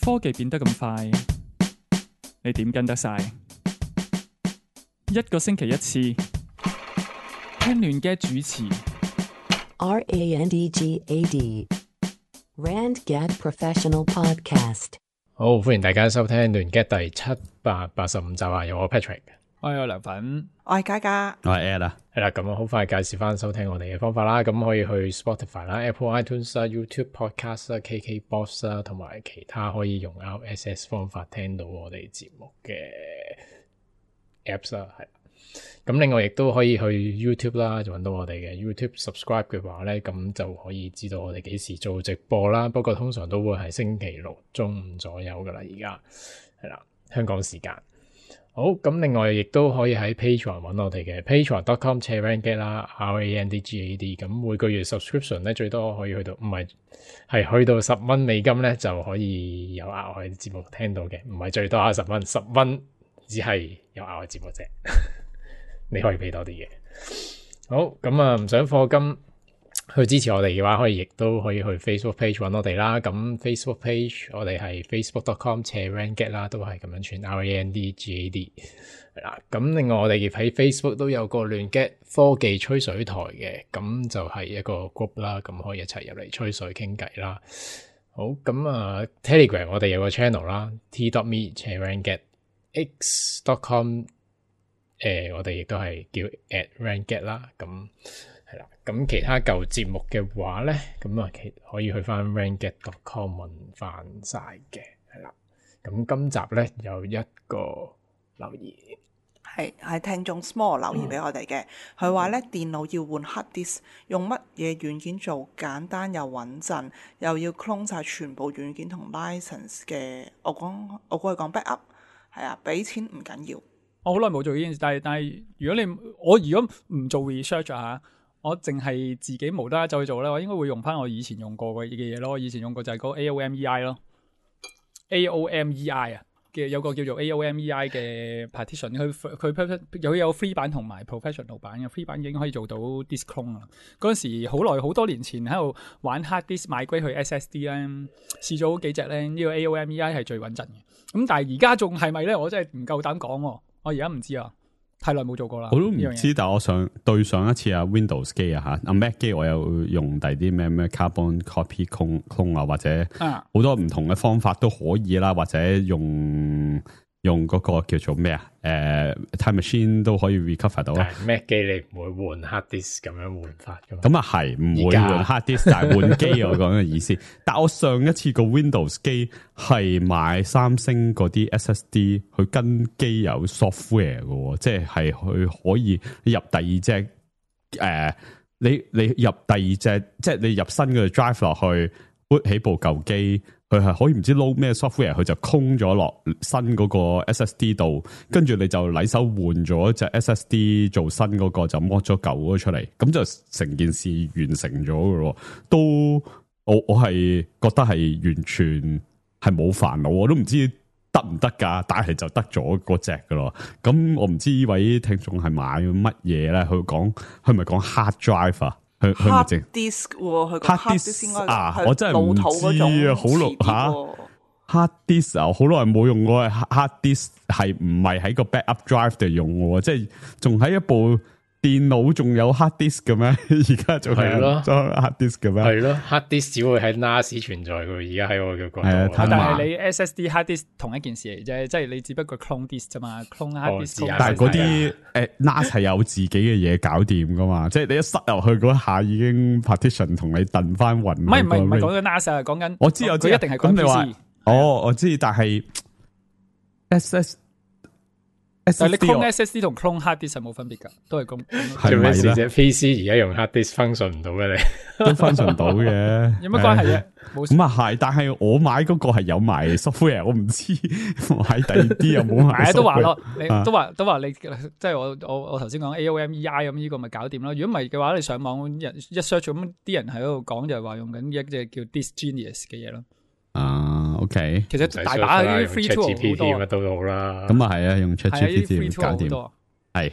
科技變得咁快，你點跟得晒？一個星期一次，聽亂嘅主持。RANDGAD RandGad Professional Podcast。好，歡迎大家收聽亂 get 第785集啊！有我 Patrick， 我有涼粉，我係嘉嘉，我係 Ed 啦，係啦，咁好快介紹翻收聽我哋嘅方法啦。咁可以去 Spotify 啦、Apple iTunes 啦、YouTube Podcast 啦、KKBox 啦，同埋其他可以用 RSS 方法聽到我哋節目嘅 Apps 啦，係。咁另外亦都可以去 YouTube 啦，就揾到我哋嘅 YouTube subscribe 嘅話咧，咁就可以知道我哋幾時做直播啦。不過通常都會係星期六中午左右噶啦，而家係啦，香港時間。好，咁另外亦都可以喺 Patreon 揾我哋嘅 patreon.com/randgad 啦 ，RANDGAD。咁每個月 subscription 咧最多可以去到，唔係去到$10美金咧就可以有額外節目聽到嘅，唔係最多10蚊，10蚊只係有額外節目啫。你可以俾多啲嘢。好，咁啊，唔想課金去支持我哋嘅話，亦都可以去 Facebook page 揾我哋啦。咁 Facebook page 我哋係 facebook.com/randgad 啦，都係咁樣串 RANDGAD 係啦。咁另外我哋喺 Facebook 都有個亂 get 科技吹水台嘅，咁就係一個 group 啦，咁可以一齊入嚟吹水傾偈啦。好，咁啊 Telegram 我哋有個 channel 啦 t.me/randgad x.com。我哋亦都係叫 @randgad 啦，咁係啦。咁其他舊節目嘅話咧，咁啊可以去翻 randgad.com 揾翻晒嘅，係啦。咁今集咧有一個留言，係聽眾 Small 留言俾我哋嘅，佢話咧電腦要換 hard disk， 用乜嘢軟件做簡單又穩陣，又要 clone 晒全部軟件同 license 嘅。我過去講 backup， 係啊，俾錢唔緊要。我好耐冇做呢件事，但係如果唔做 research 啊，我淨係自己無啦啦走去做咧，我應該會用翻我以前用過嘅嘢咯。我以前用過就係嗰個 AOMEI 咯 ，AOMEI 啊嘅有個叫做 AOMEI 嘅 partition， 佢有 free 版同埋 professional 版嘅 free 版已經可以做到 disk clone 啦。嗰陣時好多年前喺度玩 hard disk migrate 去 SSD 咧，試咗好幾隻咧，呢個 AOMEI 係最穩陣嘅。咁但係而家仲係咪咧？我真係唔夠膽講喎。我而家唔知啊，太耐冇做過啦。我都唔知，但係我對上一次啊 Windows 機啊吓，Mac 機我有用第啲咩 Carbon Copy Clone 啊，或者好多唔同嘅方法都可以啦，或者用嗰個叫做咩Time Machine 都可以 recover 到啊。Mac 機你唔會換 hard disk 咁樣換法噶嘛？咁啊係唔會換 hard disk， 但係換機我講嘅意思。但我上一次個 Windows 機係買三星嗰啲 SSD， 佢跟機有 software 嘅，即係佢可以入第二隻你入第二隻，即係你入新嘅 drive 落去 boot 起部舊機。佢係可以唔知撈咩 software， 佢就空咗落新嗰個 SSD 度，跟住你就禮手換咗隻 SSD 做新嗰個，就剝咗舊嗰個出嚟，咁就成件事完成咗嘅咯。都我係覺得係完全係冇煩惱，我都唔知得唔得噶，但係就得咗嗰隻噶咯。咁我唔知呢位聽眾係買乜嘢咧？佢咪講 hard drive 啊？hard disk 喎，佢 hard disk 應該係我真係唔知啊，好耐hard disk 啊，好耐冇用過 hard disk， 係唔係喺個 backup drive 度用嘅？即係仲喺一部電腦仲有 hard disk 嘅咩？而家仲係咯 hard disk 嘅咩？係咯 hard disk 只會喺 NAS 存在嘅，而家喺我嘅角度。但係你 SSD hard disk 同一件事嚟啫，即係你只不過 clone disk 啫嘛 ，clone hard disk。但係嗰啲NAS 係有自己嘅嘢搞掂噶嘛，即係你一塞入去嗰下已經 partition 同你燉翻勻。唔係講緊 NAS 啊，講緊我知佢一定係講 PC。我知，但係 但係你 clone SSD 同 clone hard disk 係冇分別噶，都係咁。做咩事啫 ？PC 而家用 hard disk function 唔到嘅你，都 function 到嘅。有乜關係啫？咁啊係，但係我買嗰個係有埋 software， 我唔知買第二啲有冇埋。都話咯，你都話你即係我頭先講 AOMEI 咁呢個咪搞掂咯。如果唔係嘅話，你上網一 search 咁啲人喺度講就係話用緊一隻叫 Disk Genius 嘅嘢咯。OK， 其實大把啲 free tool 好多乜都好啦。咁啊係啊，用 ChatGPT 搞掂。係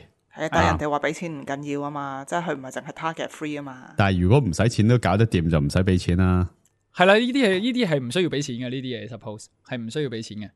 但係人哋話俾錢唔緊要啊嘛，即係佢唔係淨係 target free 啊嘛。但係如果唔使錢都搞得掂，就唔使俾錢啦。係啦，呢啲係唔需要俾錢嘅，呢啲嘢 suppose 係唔需要俾錢嘅，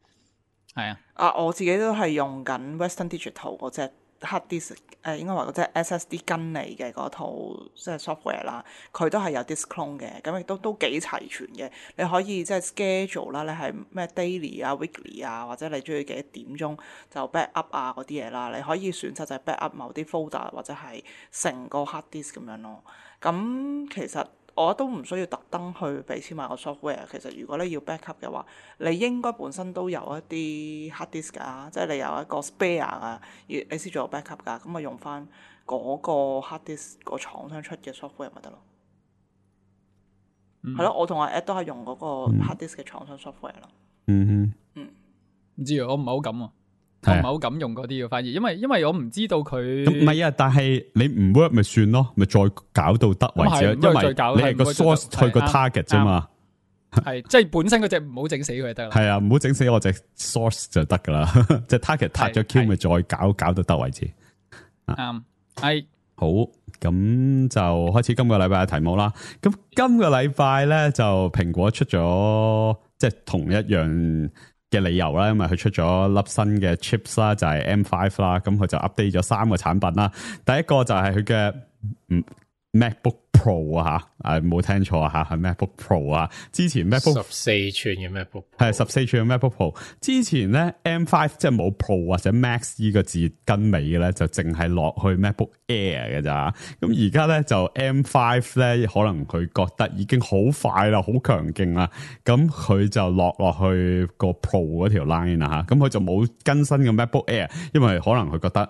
係啊。我自己都係用緊 Western Digital 嗰隻 hard disk， 應該話嗰隻 SSD 跟嚟嘅嗰套即係 software 啦，佢都係有 disk clone 嘅，咁亦都幾齊全嘅。你可以即係 schedule 啦，你係咩 daily 啊、weekly 啊，或者你中意幾多點鐘就 back up 啊嗰啲嘢啦，你可以選擇就係 back up 某啲 folder 或者係成個 hard disk 咁樣咯。咁其實我都唔需要特登去俾錢買個 software。其實如果你要 backup 嘅話，你應該本身都有一啲 hard disk 㗎，即係你有一個 spare 啊，你先做 backup 㗎。咁咪用翻嗰個 hard disk 個廠商出嘅 software 咪得咯。係咯，我同阿 Ed 都係用嗰個 hard disk 嘅廠商 software 咯。唔知啊，我唔係好敢啊。我唔係好敢用嗰啲嘅，反而因為我唔知道佢咁唔係啊，但係你唔 work 咪算咯，咪再搞到得為止，因為你係個 source 去個 target 啫嘛，係即係本身嗰隻唔好整死佢就得啦。係啊，唔好整死我隻 source 就得噶啦，即係 target 撻咗 Q 咪再搞到得為止。啱，係好，咁就開始今個禮拜嘅題目啦。咁今個禮拜咧就蘋果出咗即係同一樣嘅理由啦，因為佢出咗粒新嘅 chips 啦，就係 M5 啦，咁佢就 update 咗3個產品啦。第一個就係佢嘅MacBook Pro 啊吓，冇聽錯啊吓，係 MacBook Pro 啊。之前 MacBook 14寸嘅 MacBook 係14寸嘅 MacBook Pro， 之前咧 M5 即係冇 Pro 或者 Max 呢個字跟尾嘅咧，就淨係落去 MacBook Air 嘅咋。咁而家咧就 M5 咧，可能佢覺得已經好快啦，好強勁啦，咁佢就落去個 Pro 嗰條 line 啦吓。咁佢就冇更新嘅 MacBook Air，因為可能佢覺得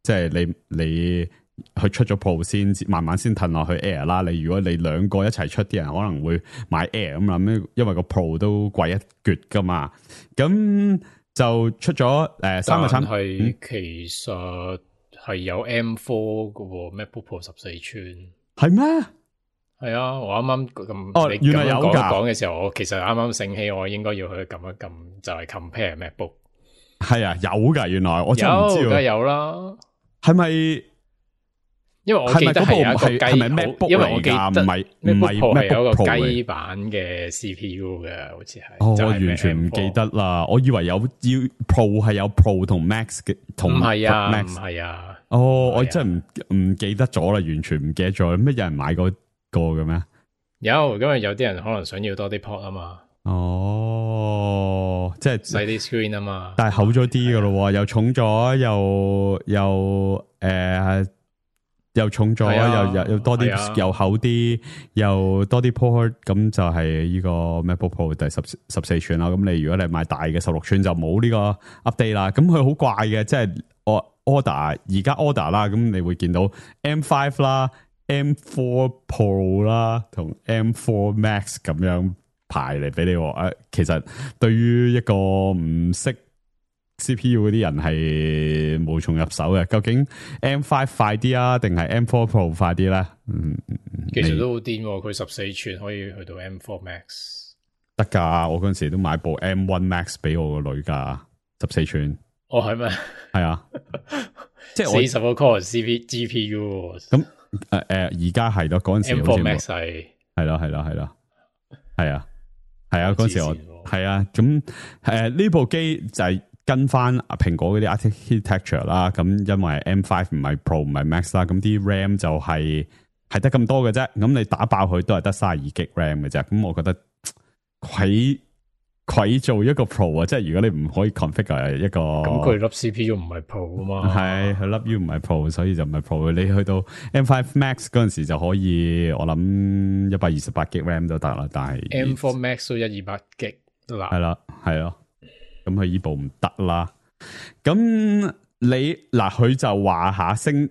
即係你佢出咗 Pro 先，慢慢先褪落去 Air 啦。如果你兩個一齊出，啲人可能會買 Air 咁啦，因為個 Pro 都貴一橛噶嘛。咁就出咗3個產品，係其實係有 M4 嘅 MacBook Pro 14寸，係咩？係啊，我啱啱咁原來有講嘅時候，我其實啱啱醒起，我應該要去撳一撳，就係 compare MacBook。係啊，有噶，原來我真係唔知。梗係有啦，係咪？因為我記得係有一個雞，係咪 MacBook 因為我記得唔係 MacBook 係有一個 Pro 雞版嘅 CPU 嘅，好似係。我完全唔記得啦，我以為有要 Pro 係有 Pro 同 Max 嘅，同唔係啊， Max 唔係啊。我真係唔記得咗啦，完全唔記得咗。咩有人買過個嘅咩？有，因為有啲人可能想要多啲 port 啊嘛。即係細啲 screen 啊嘛。但係厚咗啲噶咯，又重咗，又重咗，又多啲，又厚啲，又多啲 port， 咁就係呢個 MacBook Pro 第14寸啦。咁你如果你買大嘅16寸就冇呢個 update 啦。咁佢好怪嘅，即係order 而家 order 啦，咁你會見到 M5 啦、M4 Pro 啦同 M4 Max 咁樣排嚟俾你。其實對於一個唔識 CPU 嗰啲人係無從入手嘅，究竟 M5 快啲啊，定係 M4 Pro 快啲咧？其實都好癲，佢14寸可以去到 M4 Max 得噶。我嗰陣時都買部 M1 Max 俾我個女噶，14寸。哦，係咩？係啊，即係40個 core GPU。咁而家係咯，嗰陣時M4 Max 係咯，係啊，嗰陣時我係啊，咁呢部機就係跟翻蘋果嗰啲 architecture 啦，咁因為 M5 唔係 Pro 唔係 Max 啦，咁啲 RAM 就係得咁多嘅啫，咁你打爆佢都係得32GB RAM 嘅啫，咁我覺得佢做一個 Pro 啊，即係如果你唔可以 configure 一個，咁佢粒 CPU 唔係 Pro 啊嘛，係佢粒 U 唔係 Pro， 所以就唔係 Pro。你去到 M5 Max 嗰陣時就可以，我諗128GB RAM 都得啦，但係 M4 Max 都128GB 啦，係咯。咁佢依部唔得啦，咁你嗱佢就話下聲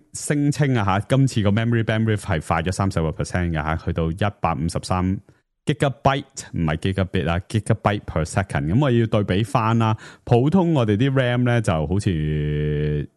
稱啊吓，今次個 memory bandwidth 係快咗30% 嘅吓，去到153 gigabyte 唔係 gigabit 啊 ，gigabyte per second。咁我要對比翻啦，普通我哋啲 RAM 咧就好似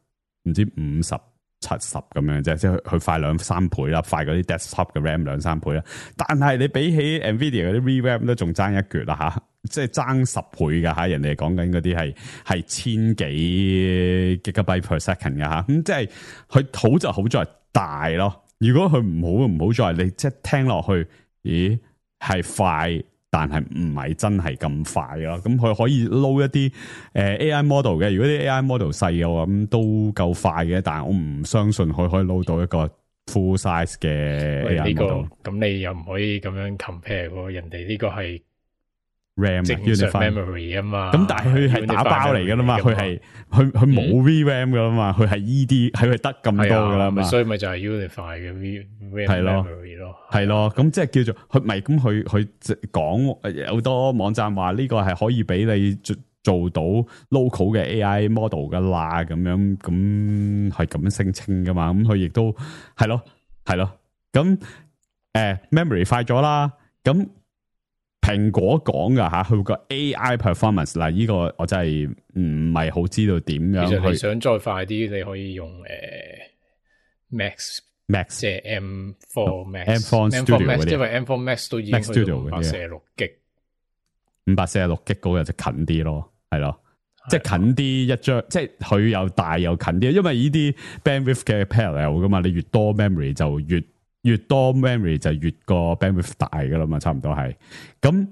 唔知50、70咁樣啫，即係佢快2-3倍啦，快嗰啲 desktop 嘅 RAM 2-3倍啦。但係你比起 Nvidia 嗰啲 VRAM 都仲爭一橛啦吓。即係爭10倍噶吓，人哋講緊嗰啲係1000幾 gigabyte per second 噶吓，咁即係佢好就好在大咯。如果佢唔好在你即係聽落去，咦係快，但係唔係真係咁快咯。咁佢可以撈一啲AI model 嘅，如果啲 AI model 細嘅話，咁都夠快嘅。但係我唔相信佢可以撈到一個 full size 嘅 AI model。咁你又唔可以咁樣 compare 喎，人哋呢個係 RAM 正常 memory 啊嘛。咁但係佢係打包嚟噶啦嘛，佢冇 VRAM 噶啦嘛，佢係 ED，佢係得咁多噶啦嘛，所以咪就係 unify 嘅 VRAM memory 咯。係咯，咁即係叫做佢咪咁佢講有好多網站話呢個係可以俾你做到 local 嘅 AI model 噶啦，咁樣咁係咁樣聲稱噶嘛，咁佢亦都係咯，咁memory 快咗啦，咁蘋果講噶吓，佢個 AI performance 嗱，呢個我真係唔係好知道點樣。其實你想再快啲，你可以用Max 即係 M4 Max Studio 因為 M4 Max 都已經去到546G， 546G 嗰個就近啲咯，係咯，即係近啲一張，即係佢又大又近啲，因為呢啲 bandwidth 嘅 parallel 噶嘛，你越多 memory 就越多 memory 就越個 bandwidth 大噶啦嘛，差唔多係。咁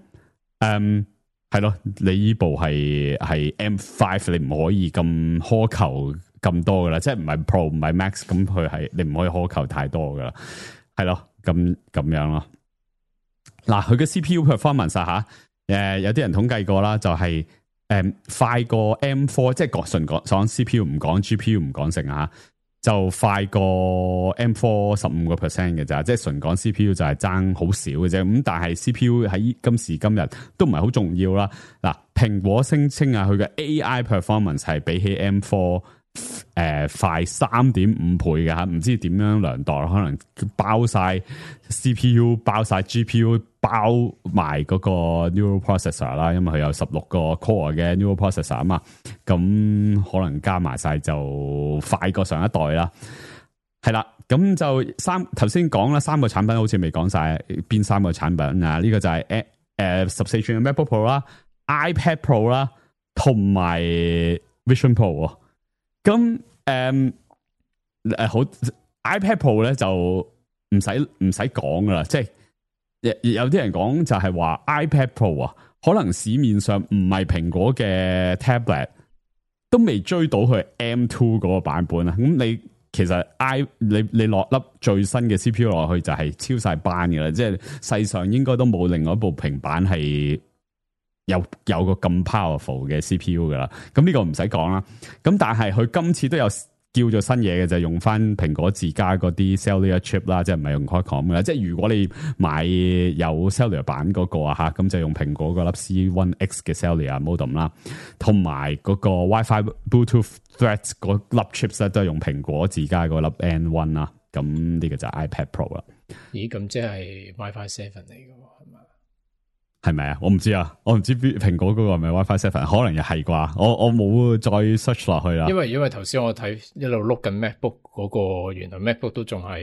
係咯，你呢部係 M5， 你唔可以咁苛求咁多噶啦，即係唔係 Pro 唔係 Max， 咁佢係你唔可以苛求太多噶啦，係咯，咁樣咯。嗱，佢嘅 CPU performance 吓，有啲人統計過啦，就係快過 M4， 即係純講 CPU 唔講 GPU 唔講成啊。就快過 M4 15% 嘅咋，即係純講 CPU 就係爭好少嘅啫。咁但係 CPU 喺今時今日都唔係好重要啦。嗱，蘋果聲稱啊，佢嘅 AI performance 係比起 M4 快 3.5 倍嘅吓，唔知點樣量度，可能包晒 CPU 包晒 GPU 包埋嗰個 neural processor 啦，因為佢有16個 core 嘅 neural processor 啊嘛，咁可能加埋晒就快過上一代啦。係啦，咁就頭先講啦，3個產品好似未講晒邊3個產品啊？呢個就係14寸嘅 MacBook Pro 啦、iPad Pro 啦，同埋 Vision Pro。咁好 iPad Pro 咧就唔使講噶啦，即係有啲人講就係話 iPad Pro 啊，可能市面上唔係蘋果嘅 tablet 都未追到佢 M2 嗰個版本啊。咁你其實你落粒最新嘅 CPU 落去就係超晒班噶啦，即係世上應該都冇另外一部平板係有個咁 powerful 嘅 CPU 噶啦，咁呢個唔使講啦。咁但係佢今次都有叫做新嘢嘅，就係用翻蘋果自家嗰啲 cellular chip 啦，即係唔係用 Qualcomm 嘅。即係如果你買有 cellular 版嗰個啊吓，咁就用蘋果嗰粒 C1X 嘅 cellular modem 啦，同埋嗰個 WiFi Bluetooth Thread 嗰粒 chips 咧都係用蘋果自家嗰粒 N1 啦。咁呢個就係 iPad Pro 啦。咦，咁即係 WiFi 7嚟嘅係嘛？係咪啊？我唔知啊，我唔知蘋果嗰個係咪 WiFi 7，可能又係啩？我冇再 search 落去啦。因為頭先我睇一路碌緊 MacBook 嗰個，原來 MacBook 都仲係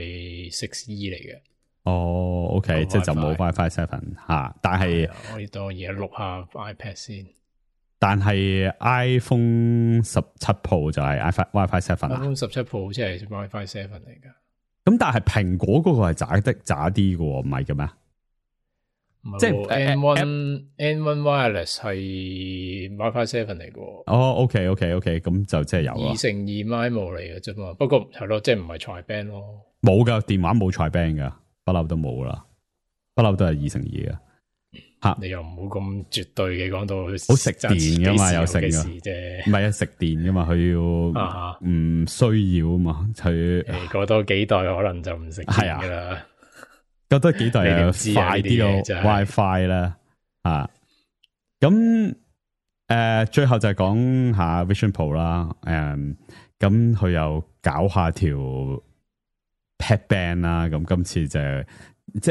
6E 嚟嘅。哦 ，OK， 即係就冇 WiFi 7吓，但係我當而家碌下 iPad 先。但係 iPhone 17 Pro 就係 WiFi 7啊。iPhone 17 Pro 好似係 WiFi 7嚟噶。咁但係蘋果嗰個係渣啲嘅，唔係嘅咩？即係 N1 Wireless 係 WiFi 7嚟嘅。哦 ，OK， 咁就即係有啊。2乘2 MIMO 嚟嘅啫嘛，不過係咯，即係唔係 Tri-Band 咯。冇噶，電話冇 Tri-Band 噶，不嬲都冇啦，不嬲都係2乘2嘅。吓，你又唔好咁絕對嘅，講到好食電噶嘛，有食嘅噶，事啫。唔係啊，食電噶嘛，佢要唔需要啊嘛，佢過多幾代可能就唔食電噶啦。覺得幾代又快啲個 WiFi 啦，咁最後就係講下 Vision Pro 啦，咁佢又搞下條 Headband 啦，咁今次即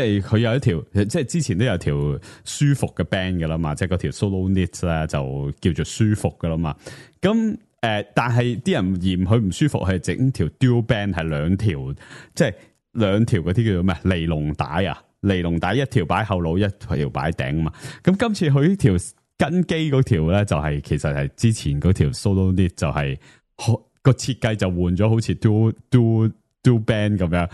係佢有一條，即係之前都有條舒服嘅 band 噶啦嘛，即係嗰條 Solo Knit 咧就叫做舒服噶啦嘛，咁但係啲人嫌佢唔舒服，係整條 Dual Band 係兩條，即係。兩條嗰啲叫做咩？尼龍帶啊，尼龍帶一條擺後腦，一條擺頂啊嘛。咁今次佢呢條跟機嗰條咧，就係其實係之前嗰條 Solo Knit 就係個設計就換咗，好似 Dual Band 咁樣。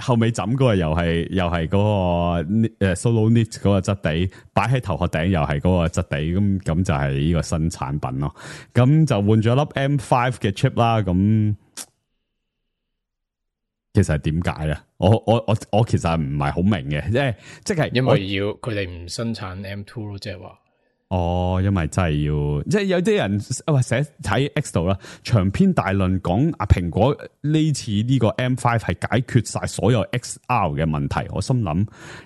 後尾枕嗰個又係嗰個Solo Knit 嗰個質地，擺喺頭殼頂又係嗰個質地，咁就係呢個新產品咯。咁就換咗粒 M5 嘅 chip 啦。咁其實係點解咧？我其實唔係好明嘅，即係因為佢哋唔生產 M2 咯，即係話。因為真係要，即係有啲人寫睇 X 度啦，長篇大論講蘋果呢次呢個 M5 係解決晒所有 XR 嘅問題。我心諗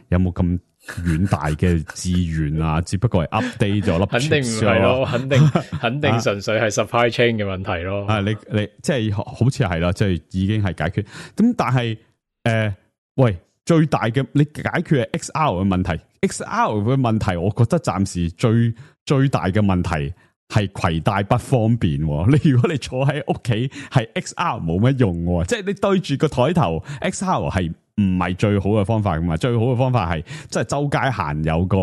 有冇咁遠大嘅志願啊？只不過係 update 咗粒，肯定唔係咯，肯定純粹係 supply chain 嘅問題咯。你即係好似係啦，即係已經係解決。咁但係喂。最大嘅你解決係 XR 嘅問題 ，XR 嘅問題，我覺得暫時最大嘅問題係攜帶不方便。你如果你坐喺屋企，係 XR 冇乜用，即係你對住個台頭 XR 係唔係最好嘅方法噶嘛？最好嘅方法係即係周街行有個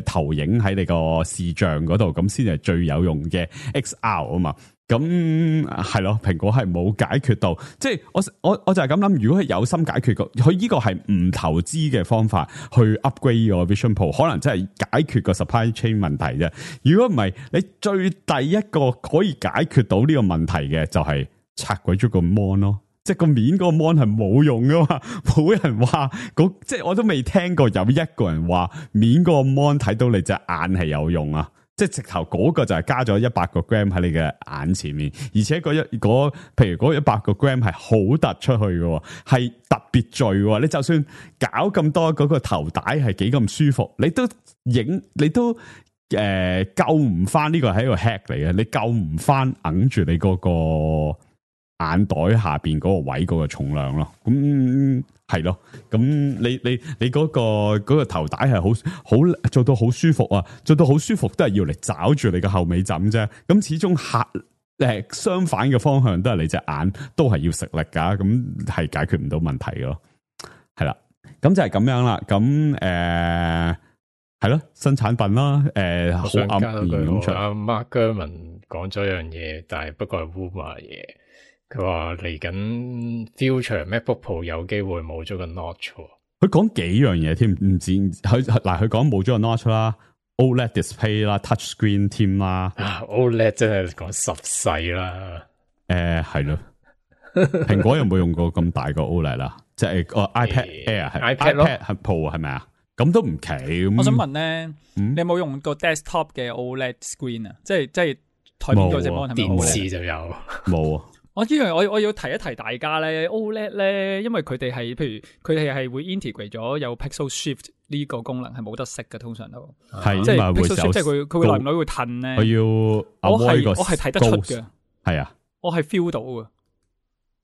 投影喺你個視像嗰度，咁先係最有用嘅 XR 啊嘛。咁係咯，蘋果係冇解決到，即係我就係咁諗，如果係有心解決佢呢個係唔投資嘅方法去 upgrade 個 Vision Pro， 可能真係解決個 supply chain 問題啫。如果唔係，你最第一個可以解決到呢個問題嘅就係拆鬼咗個 mon 咯，即係個面嗰個 mon 係冇用噶嘛，冇人話即係我都未聽過有一個人話面嗰個 mon 睇到你隻眼係有用啊。即係直頭嗰個就係加咗100個 gram 喺你嘅眼前面，而且譬如嗰100個 gram 係好突出去嘅，係特別聚。你就算搞咁多嗰個頭帶係幾咁舒服，你都救唔翻，呢個係一個 hack 嚟嘅，你救唔翻揞住你嗰個眼袋下邊嗰個位嗰個重量咯。咁係咯，咁你嗰個頭帶係好做到好舒服啊，做到好舒服都係要嚟找住你個後尾枕啫。咁始終相反嘅方向都係你隻眼都係要食力噶，咁係解決唔到問題咯。係啦，咁就係咁樣啦。咁係咯，新產品啦，好啱咁出。阿 Mark Gurman 講咗一樣嘢，但係不過係 rumor 嘢。佢話嚟緊 future MacBook Pro 有機會冇咗個 notch。佢講幾樣嘢添，唔止佢講冇咗個 notch 啦 ，OLED display 啦 ，touch screen 添啦。OLED 真係講10世啦。係咯。蘋果有冇用過咁大個 OLED 啦？即係個 iPad Air 係 iPad Pro 係咪啊？咁都唔奇。我想問咧，你有冇用過 desktop 嘅 OLED screen 啊？即係台面嗰隻 mon 係咪電視就有？冇啊。我要提一提大家咧 ，OLED 咧，因為佢哋係，譬如佢哋係會 integrate 咗有 Pixel Shift 呢個功能，係冇得熄嘅，通常都係即係 Pixel Shift，即係佢會耐唔耐會褪咧。我係睇得出嘅，係啊，我係 feel 到嘅。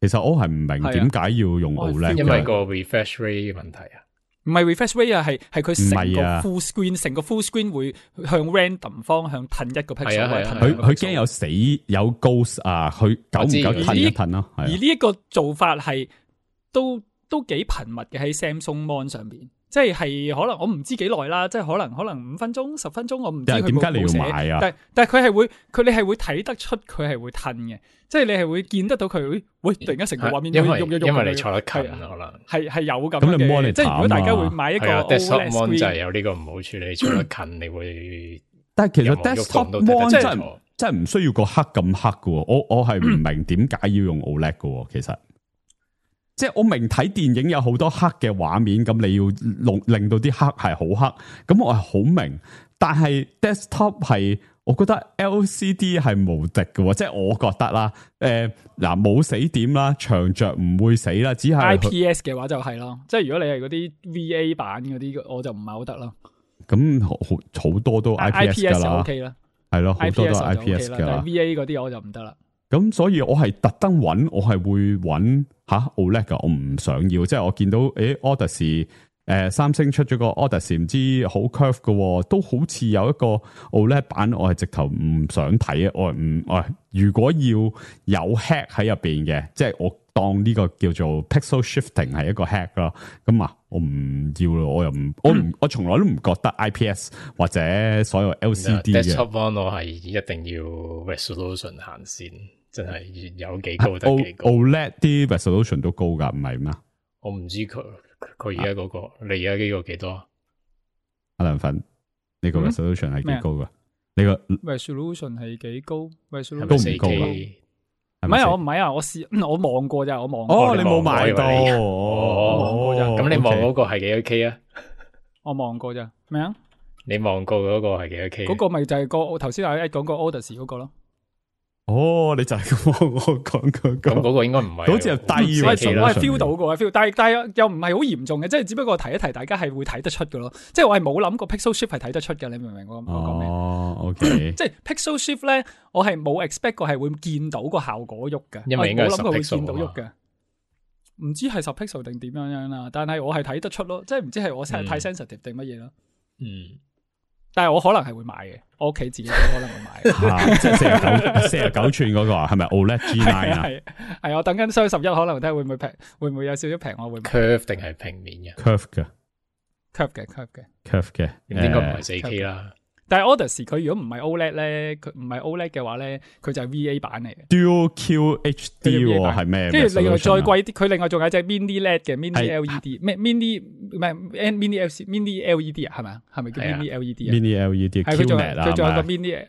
其實我係唔明點解要用 OLED，因為個 refresh rate 問題啊。唔係 refresh rate 啊，係佢成個 full screen，成個 full screen 會向 random 方向褪一個 pixel，佢驚有 ghost 啊，佢久唔久褪一褪咯。而呢一個做法係都幾頻密嘅喺 Samsung Mon 上邊，即係可能我唔知幾耐啦，即係可能5分鐘、10分鐘，我唔知佢點解你要買啊？但係你係會睇得出佢係會褪嘅，即係你係會見得到佢，喂，突然間成個畫面因為你坐得近可能係有咁嘅，即係如果大家會買一個 desktop mon 就係有呢個唔好處，你坐得近你會，但係其實 desktop mon 真係唔需要個黑咁黑嘅，我係唔明點解要用 OLED 嘅，其實。即係我明睇電影有好多黑嘅畫面，咁你要令到啲黑係好黑，咁我係好明。但係 desktop 係，我覺得 LCD 係無敵嘅，即係我覺得啦。嗱冇死點啦，長着唔會死啦，只係 IPS 嘅話就係咯。即係如果你係嗰啲 VA 版嗰啲，我就唔係好得啦。咁好多都 IPS 噶啦，OK 啦，係咯，好多都 IPS 噶啦。VA 嗰啲我就唔得啦。咁所以我係特登揾，我係會揾OLED 噶，我唔想要。即係我見到Odyssey，三星出咗個 Odyssey，唔知好 curve 嘅，都好似有一個 OLED 版，我係直頭唔想睇啊！如果要有 hack 喺入邊嘅，即係我當呢個叫做 pixel shifting 係一個 hack 咯。咁我唔要咯，我又唔，我從來都唔覺得 IPS 或者所有 LCD 嘅 desktop mon 我係一定要 resolution 行先，真係有幾高得幾高。OLED 啲 resolution 都高噶，唔係咩我唔知佢而家嗰個，你而家呢個幾多啊？阿梁粉，呢個 resolution 係幾高噶？呢個 resolution 係幾高？resolution 都唔4K 高啦。唔係啊，我唔係啊，我望過咋，我望過。哦，你冇買到哦，咁你望嗰個係幾多 K 啊？我望過咋？咩啊？你望過嗰個係幾多 K？嗰個咪就係個頭先阿 Ed 講個 Odyssey 嗰個咯。哦，你就係咁我講嗰個，咁嗰個應該唔係，好似係低我喎。係 feel 到嘅，feel，但係又唔係好嚴重嘅，即係只不過提一提大家係會睇得出嘅咯。即係我係冇諗過 Pixel Shift 係睇得出嘅，你明唔明我講咩？哦，OK，即係 Pixel Shift 咧，我係冇 expect 過係會見到個效果喐嘅，因為應該係我冇諗過會10 pixel 見到喐嘅。唔知係10 pixel 定點樣啦，但係我係睇得出咯，即係唔知係我太 sensitive 定乜嘢咯。嗯。但係我可能係會買嘅，我屋企自己都可能會買。即係49寸嗰個啊，係咪 OLED G9 啊？係我等緊雙11，可能睇下會唔會平，會唔會有少少平，我會買。curve 定係平面嘅 curve 嘅 curve 嘅，應該唔係4K 啦。但係 Odyssey 佢如果唔係 OLED 咧，佢唔係 OLED 嘅話咧，佢就係 VA 版嚟嘅。Dual QHD 係咩？跟住另外再貴啲，佢另外仲有隻 Mini LED 嘅 Mini LED，咩 Mini 唔係 Mini LED 啊？係咪啊？係咪叫 Mini LED 啊？Mini LED 係佢仲 QLED 啊？佢仲有個 Mini，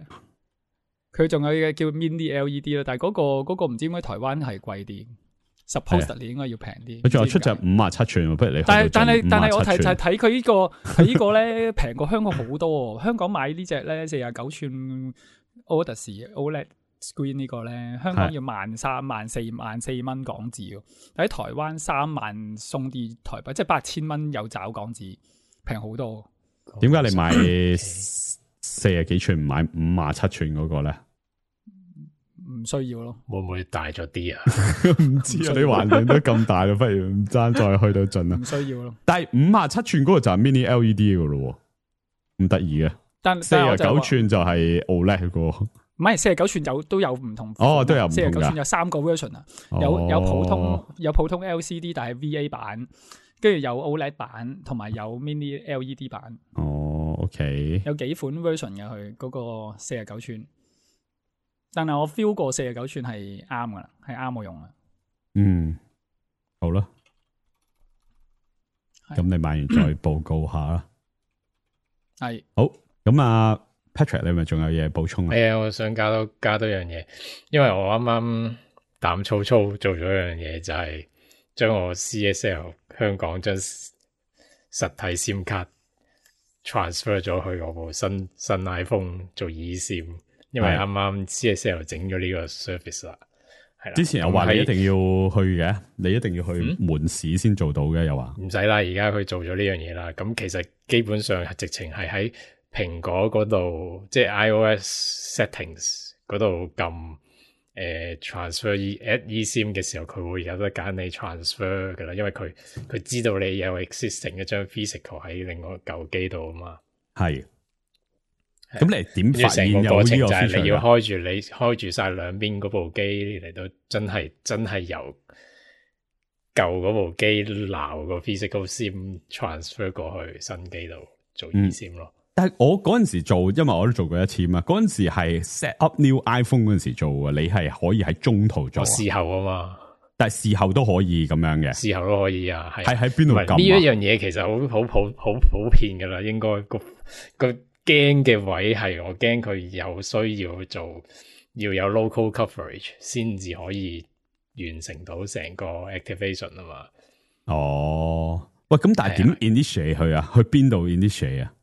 佢仲有嘅叫 Mini LED 咯。但係嗰個唔知點解台灣係貴啲。supposedly 應該要平啲。佢仲有出隻57寸，不如你。但係我睇佢呢個呢個咧平過香港好多。香港買呢隻咧49寸 Odyssey OLED screen 呢個咧，香港要13,000、14,000蚊港紙。但喺台灣3萬送啲台幣，即係8000蚊有找港紙，平好多。點解你買40幾寸唔買57寸嗰個咧？唔需要咯，會唔會大咗啲啊？唔知啊，你環境都咁大啦，不如唔爭再去到盡啦。唔需要咯。但係57寸嗰個就係 Mini LED 噶咯，咁得意嘅。但49寸就係 OLED 個。唔係49寸都有唔同。哦，都有唔同㗎。49寸有3個 version 啊，有普通 LCD 但係 VA 版，跟住有 OLED 版，同埋有 Mini LED 版。哦 ，OK。有幾款 version 嘅佢嗰個49寸。但係我 feel 過49寸係啱噶啦，係啱我用啊。嗯，好啦，咁你買完再報告下啦。係好，咁啊 Patrick， 你咪仲有嘢補充啊？係啊，我想加多樣嘢，因為我啱啱膽粗粗做咗一樣嘢，就係將我 CSL 香港將實體 SIM 卡 transfer 咗去我部新 iPhone 做 eSIM。因為啱啱 CSL 整咗呢個 service 啦，係啦。之前又話你一定要去嘅，你一定要去門市先做到嘅，又話唔使啦。而家佢做咗呢樣嘢啦，咁其實基本上係直情係喺蘋果嗰度，即係 iOS settings 嗰度撳transfer eSIM 嘅時候，佢會有得揀你 transfer 噶啦，因為佢知道你有 existing 一張 physical 喺另外舊機度啊嘛，係。咁你點發現有呢個 feature？就係你要開住晒兩邊嗰部機嚟到真係由舊嗰部機撈個 physical SIM transfer 過去新機度做 eSIM 咯。但係我嗰陣時做，因為我都做過一次嘛。嗰陣時係 set up new iPhone 嗰陣時做嘅，你係可以喺中途做。事後啊嘛，但係事後都可以咁樣嘅。事後都可以啊，係喺邊度撳啊？呢一樣嘢其實好普遍噶啦，應該個驚嘅位係我驚佢有需要做，要有 local coverage 先至可以完成到成個 activation 啊嘛。哦，喂，咁但係點 initiate 去啊？去邊度 initiate 啊？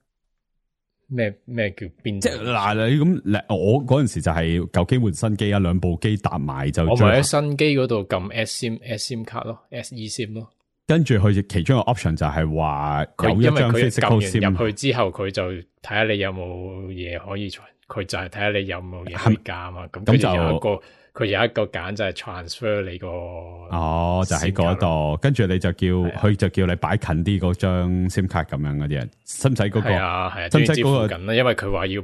咩叫邊？即係嗱，你咁我嗰陣時就係舊機換新機啊，兩部機搭埋就我咪喺新機嗰度撳 SIM 卡咯 ，eSIM 咯。跟住佢其中一個 option 就係話有一張 physical SIM入去之後，佢就睇下你有冇嘢可以，佢就係睇下你有冇嘢可以加嘛。咁佢有一個揀就係 transfer 你個就喺嗰度，跟住你就叫佢就叫你擺近啲嗰張 SIM 卡咁樣嗰啲啊，使唔使嗰個？係啊，使唔使嗰個？因為佢話要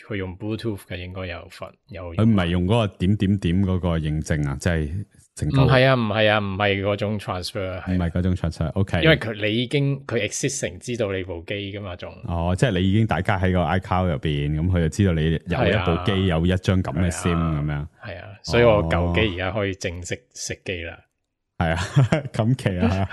佢用 Bluetooth 嘅，應該有份有。佢唔係用嗰個點嗰個認證啊，即係。唔係啊，唔係嗰種 transfer， 唔係嗰種 transfer。OK， 因為你已經佢 existing 知道你部機噶嘛，仲即係你已經大家喺個 iCloud 入邊，咁佢就知道你有一部機有一張咁嘅 SIM 咁樣。係啊，所以我舊機而家可以正式熄機啦。係啊，咁奇啊！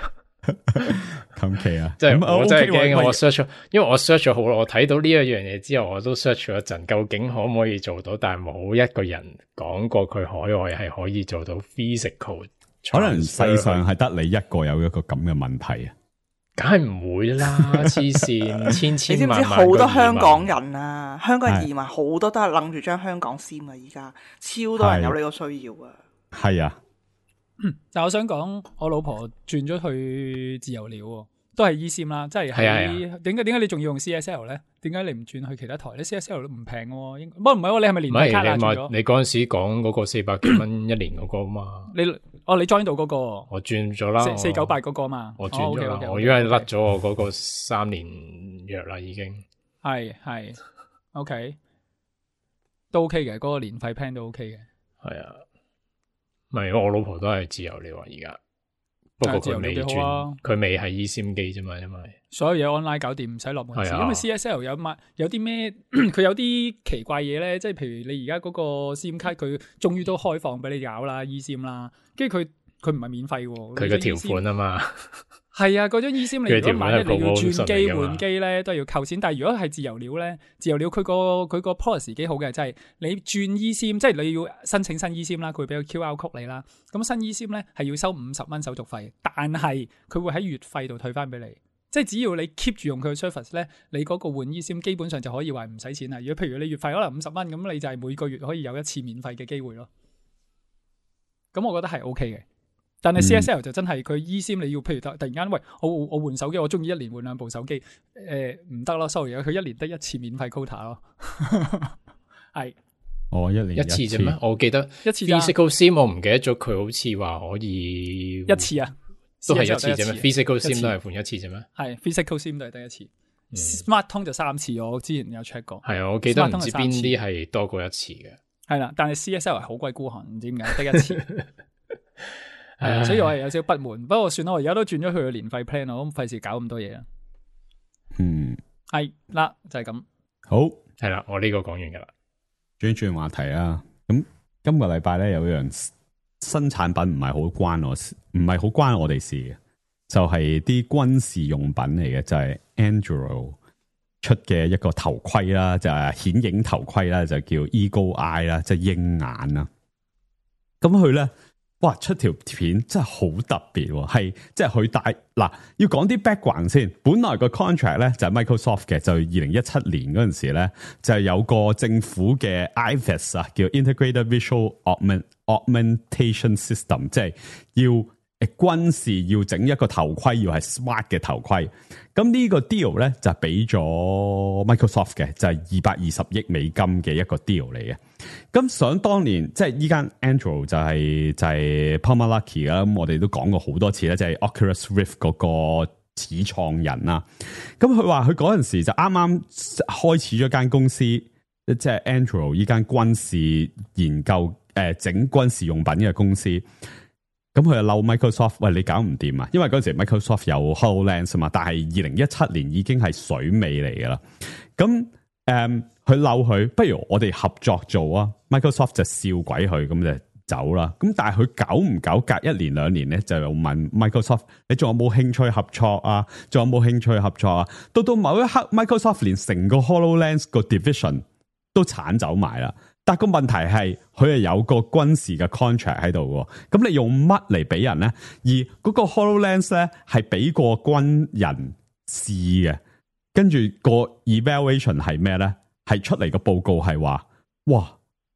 咁奇啊！即係咁我真係 OK 喎驚，我 search 咗，因為我 search 咗好耐，我睇到呢一樣嘢之後，我都 search 咗一陣，究竟可唔可以做到？但係冇一個人講過佢海外係可以做到 physical。可能世上係得你一個有一個咁嘅問題啊！梗係唔會啦，黐線，千你千萬萬知唔知好多香港人？人啊？香港人移民好多都係諗住將香港簽啊！而家超多人有呢個需要啊！係啊，但我想講，我老婆轉咗去自由鳥喎，都係 eSIM 啦，即係係啊喺點解你仲要用 CSL 咧？點解你唔轉去其他台咧？CSL 都唔平嘅喎，應該不過唔係喎，你係咪唔連費卡啊？係轉咗你嗰陣時講嗰個400幾蚊一年嗰個嘛？你 join 到嗰個我轉咗啦， 498嗰個嘛？我轉咗啦， OK，我因為甩咗我嗰個3年約啦，已經係 OK 都 OK 嘅，嗰個年費 plan 都 OK 嘅。係啊，唔係我老婆都係自由了啊，而家不過佢未自由了幾好啊轉，佢未係 eSIM 機啫嘛，因為所有嘢 online 搞掂，唔使落門市。係啊因為 CSL 有啲咩，佢有啲奇怪嘢咧，即係譬如你而家嗰個 SIM 卡，佢終於都開放俾你搞啦，eSIM 啦，跟住佢唔係免費喎。佢嘅條款啊嘛，係啊，嗰張 eSIM 你如果萬一你要轉機 promotion 嚟㗎嘛換機咧，都係要扣錢。但係如果係自由料咧，自由料佢個 policy 幾好嘅，即係你轉 eSIM，即係你要申請新 eSIM 啦，佢會俾個 QR code 你啦。咁新 eSIM 咧係要收50蚊手續費，但係佢會喺月費度退翻俾你。即係只要你 keep 住用佢嘅 service 咧，你嗰個換 eSIM 基本上就可以話唔使錢啦。如果譬如你月費可能50蚊，咁你就係每個月可以有一次免費嘅機會咯。咁我覺得係 OK 嘅。但係 CSL 就真係佢 eSIM 你要譬如突然間喂我換手機，我中意一年換2部手機，唔得咯 sorry 佢一年得一次免費 quota 咯，係我一年一次啫咩？我記得一次咋 physical SIM 我唔記得咗，佢好似話可以一次啊，都係一 CSL 次啫咩得？physical 一 SIM 次都係換一次啫咩？係 physical SIM 都係得一次，Smart 通就3次，我之前有 check 過。係啊，我記得 Smart 唔通係3知邊次啲係多過一次嘅。係啦，但係 CSL 係好鬼孤寒，唔知點解得一次。係啊，所以我係有少少不滿。不過算啦，我而家都轉咗去個年費 plan，我咁費事搞咁多嘢啊。係啦，就係咁。好係啦，我呢個講完噶啦。轉話題啊！咁今個禮拜咧有一樣新產品唔係好關我哋事嘅，就係啲軍事用品嚟嘅，就係 Anduril 出嘅一個頭盔啦，就係顯影頭盔啦，就叫 Eagle Eye 啦，即係鷹眼啦。咁佢咧，哇出條片真係好特別喎，係即係佢帶嗱要講啲 background 先。本來個 contract 咧就係 Microsoft 嘅，就2017年嗰陣時咧就有個政府嘅 IVAS 啊，叫 Integrated Visual Augmentation System， 即係要軍事要整一個頭盔，要係 smart 嘅頭盔。咁呢個 deal 咧就俾咗 Microsoft 嘅，就係220億美金嘅一個 deal 嚟嘅。咁想當年即係依間 Anduril 就係 Palmer Luckey 啦。咁我哋都講過好多次咧，即係 Oculus Rift 嗰個始創人啦。咁佢話佢嗰陣時就啱啱開始咗間公司，即係 Anduril 依間軍事研究整軍事用品嘅公司。咁佢就嬲 Microsoft， 喂你搞唔掂啊！因為嗰陣時 Microsoft 有 HoloLens 嘛，但係2017年已經係水尾嚟噶啦。咁佢嬲佢，不如我哋合作做啊 ！Microsoft 就笑鬼佢，咁就走啦。咁但係佢久唔久隔1年2年咧，就又問 Microsoft：你仲有冇興趣合作啊？仲有冇興趣合作啊？到某一刻 ，Microsoft 連成個 HoloLens 個 division 都鏟走埋啦。但個問題係，佢係有個軍事嘅 contract 喺度喎，咁你用乜嚟俾人咧？而嗰個 HoloLens 咧係俾個軍人試嘅，跟住個 evaluation 係咩咧？係出嚟個報告係話，哇，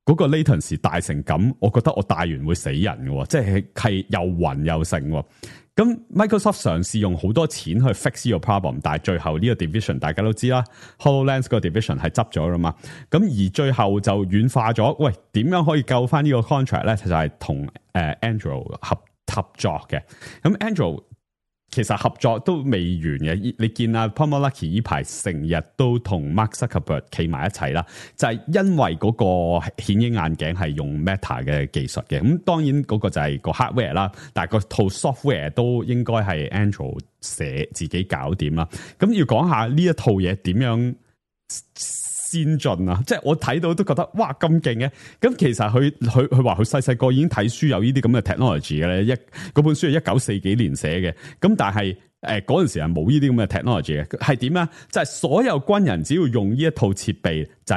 嗰個 latency 大成咁，我覺得我戴完會死人嘅，即係又暈又成喎。咁 Microsoft 嘗試用好多錢去 fix 呢個 problem， 但係最後呢個 division 大家都知啦 ，HoloLens 個 division 係執咗啦嘛。咁而最後就軟化咗，喂，點樣可以救翻呢個 contract 咧？就係同Anduril 合作嘅。咁 Anduril 其實合作都未完嘅，你見啊 Palmer Luckey 呢排成日都同 Mark Zuckerberg 企埋一齊啦，就係因為嗰個顯影眼鏡係用 Meta 嘅技術嘅，咁當然嗰個就係個 hardware 啦，但係個套 software 都應該係 Anduril 寫自己搞掂啦。咁要講下呢一套嘢點樣先進啊！即係我睇到都覺得哇咁勁嘅。咁其實佢話佢細個已經睇書有呢啲咁嘅 technology 嘅咧，嗰本書係1940幾年寫嘅。咁但係嗰陣時係冇呢啲咁嘅 technology 嘅，係點咧？就係所有軍人只要用呢一套設備，就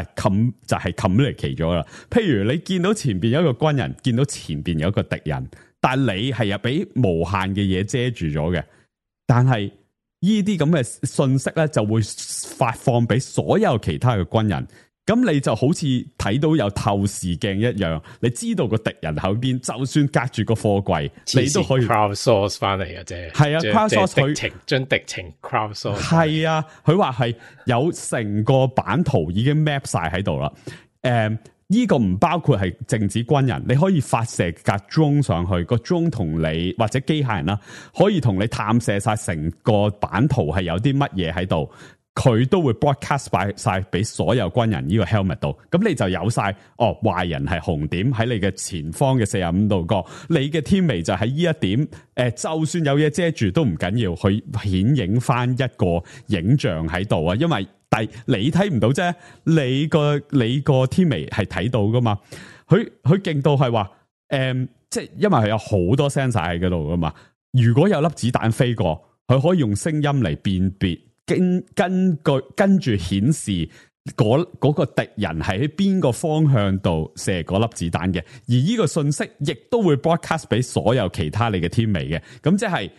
係 communicate 咗啦。譬如你見到前邊有一個軍人，見到前邊有一個敵人，但係你係又俾無限嘅嘢遮住咗嘅，但係呢啲咁嘅信息咧就會發放俾所有其他嘅軍人。咁你就好似睇到有透視鏡一樣，你知道個敵人後邊，就算隔住個貨櫃，你都可以 crowdsource 翻嚟嘅啫。係啊 ，crowdsource 佢將敵情 crowdsource。係啊，佢話係有成個版圖已經 map 晒喺度啦。呢個唔包括係淨止軍人，你可以發射架 drone 上去，個 drone 同你或者機械人啦，可以同你探射晒成個版圖係有啲乜嘢喺度。佢都會 broadcast 晒俾所有軍人呢個 helmet 度，咁你就有晒壞人係紅點喺你嘅前方嘅45度角，你嘅天眉就喺呢一點，就算有嘢遮住都唔緊要，去顯影翻一個影像喺度啊，因為你睇唔到啫，你個天眉係睇到噶嘛，佢勁到係話，即係因為佢有好多 sensor 喺嗰度噶嘛，如果有粒子彈飛過，佢可以用聲音嚟辨別。跟住顯示嗰個敵人係喺邊個方向度射嗰粒子彈嘅，而呢個信息亦都會 broadcast 俾所有其他你嘅天眉嘅，咁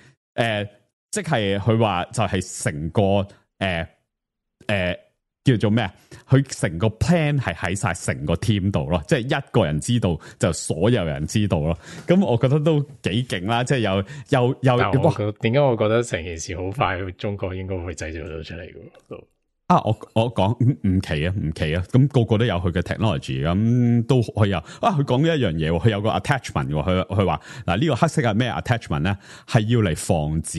即係佢話就係成個叫做咩啊？佢成個 plan 係喺晒成個 team 度咯，即係一個人知道就所有人知道咯。咁我覺得都幾勁啦，即係又點解我覺得成件事好快，中國應該會製造到出嚟嘅都。啊！我講唔奇啊，咁個個都有佢嘅 technology，咁都可以有。佢講呢一樣嘢，佢有個 attachment，佢話嗱呢個黑色係咩 attachment 咧？係要嚟防止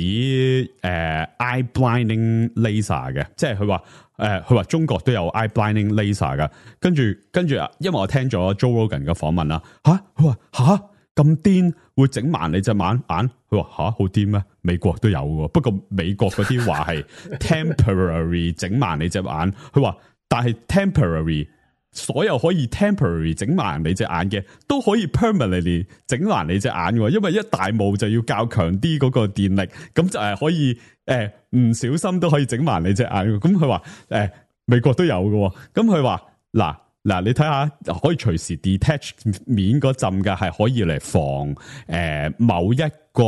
eye blinding laser 嘅，即係佢話中國都有 eye blinding laser 噶。跟住，因為我聽咗 Joe Rogan 嘅訪問啦，佢話咁癲會整盲你隻眼？佢話好癲咩？美國都有喎，不過美國嗰啲話係 temporary 整盲你隻眼。佢話但係 temporary 所有可以 temporary 整盲你隻眼嘅，都可以 permanently 整盲你隻眼喎。因為一大霧就要較強啲嗰個電力，咁就係可以唔小心都可以整盲你隻眼。咁佢話美國都有嘅，咁佢話嗱，你睇下可以隨時 detach 面嗰陣嘅，係可以嚟防某一個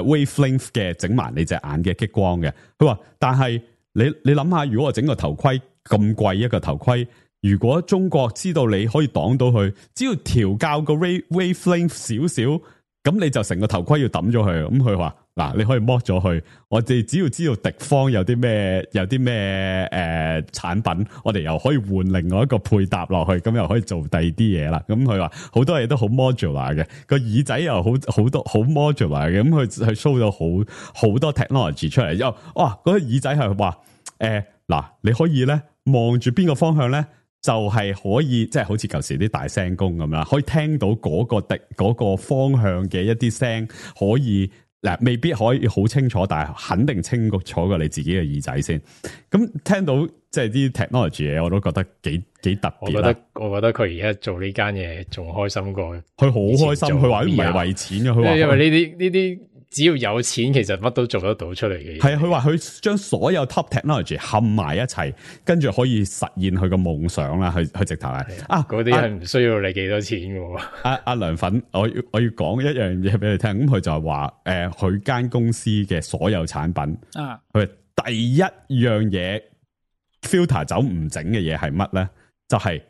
wavelength 嘅整盲你隻眼嘅激光嘅。佢話，但係你諗下，如果我整個頭盔咁貴一個頭盔，如果中國知道你可以擋到佢，只要調校個 wavelength 少少，咁你就成個頭盔要抌咗佢。咁佢話嗱，你可以剝咗佢，我哋只要知道敵方有啲咩產品，我哋又可以換另外一個配搭落去，咁又可以做第二啲嘢啦。咁佢話好多嘢都好 modular 嘅，個耳仔又好多好 modular 嘅，咁佢 show 咗好多 technology 出嚟。又嗰個耳仔係話你可以咧望住邊個方向咧，就係可以即係好似舊時啲大聲公咁啦，可以聽到嗰個方向嘅一啲聲，可以未必可以好清楚，但係肯定清楚過你自己嘅耳仔先。咁聽到即係啲 technology 嘢，我都覺得幾特別啦。我覺得佢而家做呢間嘢仲開心過，佢好開心。佢話唔係為錢嘅，佢話因為呢啲只要有錢，其實乜都做得到出嚟嘅嘢。係啊，佢話佢將所有 top technology 冚埋一齊，跟住可以實現佢個夢想啦。佢直頭係嗰啲係唔需要你幾多錢嘅。阿梁粉，我要講一樣嘢俾你聽。咁佢就係話佢間公司嘅所有產品佢第一樣嘢 filter 走唔整嘅嘢係乜咧？就係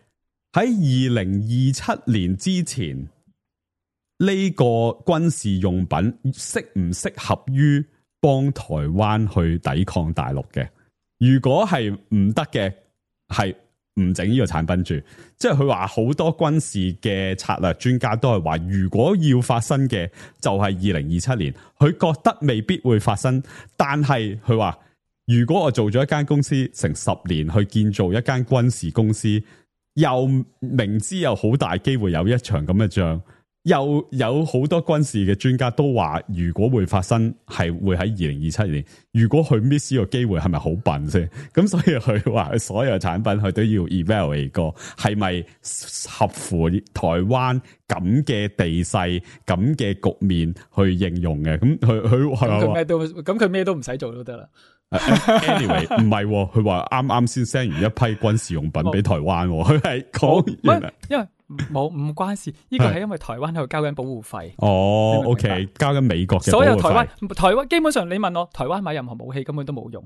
喺2027年之前。呢個軍事用品適唔適合於幫台灣去抵抗大陸嘅？如果係唔得嘅，係唔整呢個產品住。即係佢話好多軍事嘅策略專家都係話，如果要發生嘅就係2027年，佢覺得未必會發生。但係佢話，如果我做咗一間公司成10年去建造一間軍事公司，又明知有好大機會有一場咁嘅仗。有好多軍事嘅專家都話，如果會發生，係會喺2027年。如果佢 miss 呢個機會，係咪好笨先？咁所以佢話所有產品佢都要 evaluate 過，係咪合乎台灣咁嘅地勢、咁嘅局面去應用嘅？咁佢咩都唔使做都得啦。anyway 唔係，佢話啱先 send 完一批軍事用品俾台灣，佢係講因為唔關事，呢個係因為台灣喺度交緊保護費。哦 ，OK， 交緊美國嘅保護費。所有台灣基本上你問我，台灣買任何武器根本都冇用，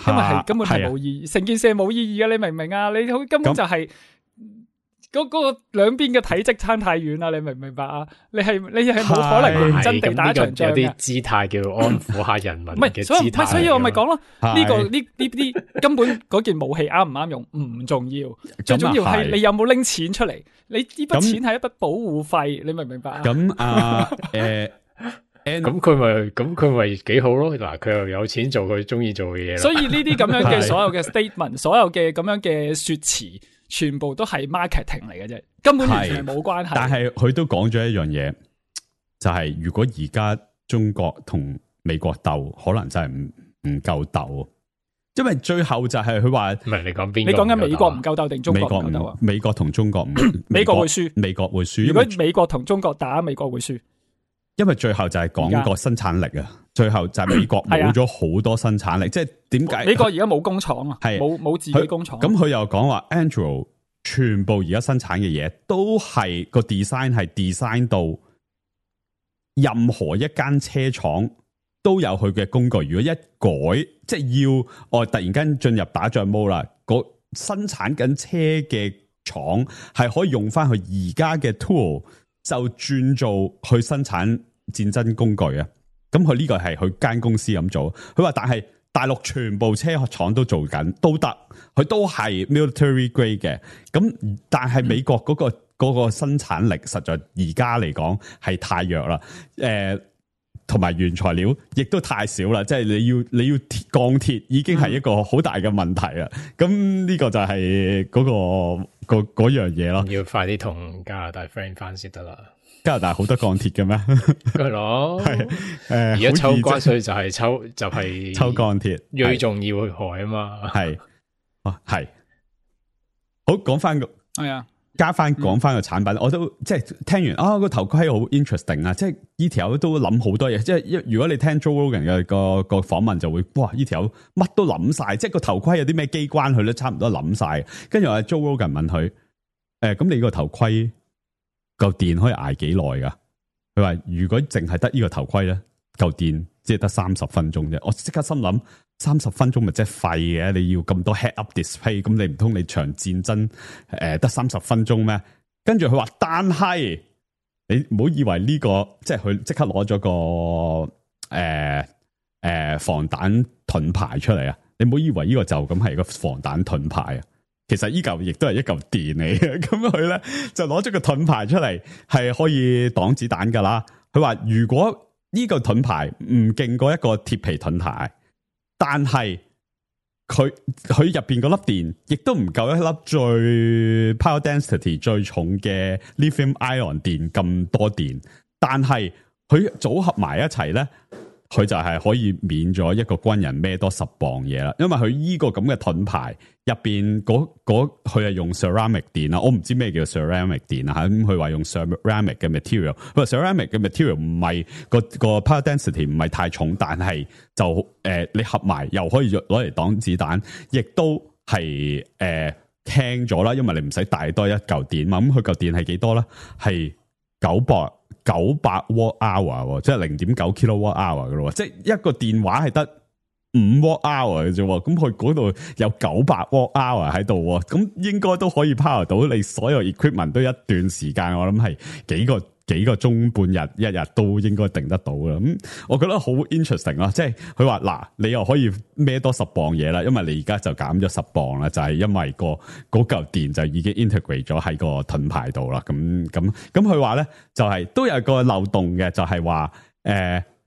因為根本係冇意義，成件事係冇意義嘅，你明唔明啊？你根本就係嗰個兩邊嘅體積差太遠啦，你明唔明白啊？你係冇可能認真地打一場仗嘅。有啲姿態叫安撫下人民嘅姿態。所以我咪講咯，呢啲根本嗰件武器啱唔啱用唔重要，最重要係你有冇拎錢出嚟。你呢筆錢係一筆保護費，你明唔明白啊？咁佢咪幾好咯？嗱，佢又有錢做佢中意做嘅嘢。所以呢啲咁樣嘅所有嘅 statement， 所有嘅咁樣嘅說辭，全部都係 marketing 嚟嘅啫，根本完全係冇關係。但係佢都講咗一樣嘢，就係如果而家中國同美國鬥，可能真係唔夠鬥。因為最後就係佢話，唔係你講邊？你講緊美國唔夠鬥定中國唔夠鬥啊？美國同中國唔，美國會輸，美國會輸。如果美國同中國打，美國會輸。因為最後就係講個生產力啊，最後就係美國冇咗好多生產力，即係點解？美國而家冇工廠啊，冇自己工廠。咁佢又講話 Android 全部而家生產嘅嘢都係個 design 係 design 到任何一間車廠都有佢嘅工具。如果一改，即係要突然間進入打仗 mode 啦，個生產緊車嘅廠係可以用翻佢而家嘅 tool 就轉做去生產戰爭工具啊！咁佢呢個係佢間公司咁做。佢話但係大陸全部車廠都做緊都得，佢都係 military grade 嘅。咁但係美國嗰個生產力實在而家嚟講係太弱啦。同埋原材料亦都太少啦，即係你要鋼鐵已經係一個好大嘅問題啦。咁呢個就係嗰樣嘢咯。要快啲同加拿大 friend 翻先得啦。加拿大好多鋼鐵嘅咩？係咯，而家抽關稅就係抽鋼鐵，最重要嘅害啊嘛。係好講翻個係啊。講翻個產品，我都即係聽完個頭盔好 interesting 啊！即係呢條友都諗好多嘢，即係如果你聽 Joe Rogan 嘅個訪問就會哇呢條友乜都諗晒，即係個頭盔有啲咩機關佢都差唔多諗晒。跟住話 Joe Rogan 問佢咁你個頭盔嚿電可以挨幾耐噶？佢話如果淨係得呢個頭盔咧，嚿電即係得30分鐘啫。我即刻心諗30分鐘咪即係廢嘅，你要咁多 head up display， 咁你唔通你場戰爭得30分鐘咩？跟住佢話，但係你唔好以為呢個即係佢即刻攞咗個防彈盾牌出嚟啊！你唔好以為呢個就咁係個防彈盾牌啊！其實呢嚿亦都係一嚿電嚟嘅，咁佢咧就攞咗個盾牌出嚟，係可以擋子彈噶啦。佢話如果呢個盾牌唔勁過一個鐵皮盾牌，但係佢入邊嗰粒電亦都唔夠一粒最 power density 最重嘅 lithium ion 電咁多電，但係佢組合埋一齊咧，佢就係可以免咗一個軍人孭多10磅嘢啦。因為佢呢個咁嘅盾牌入邊佢係用 ceramic 電啊，我唔知咩叫 ceramic 電啊吓，咁佢話用 ceramic 嘅 material， 佢話 ceramic 嘅 material 唔係個 power density 唔係太重，但係就你合埋又可以攞嚟擋子彈，亦都係輕咗啦，因為你唔使帶多一嚿電嘛。咁佢嚿電係幾多咧？係900 watt hour， 即係 0.9 kilowatt hour 噶咯，即係一個電話係得5 watt hour 嘅啫，咁佢嗰度有900 watt hour 喺度，咁應該都可以 power 到你所有 equipment 都一段時間，我諗係幾個鐘半日一日都應該定得到啦。咁我覺得好 interesting 咯，即係佢話嗱，你又可以孭多10磅嘢啦，因為你而家就減咗10磅啦，就係因為嗰嚿電就已經 integrate 咗喺個盾牌度啦。咁佢話咧就係都有個漏洞嘅，就係話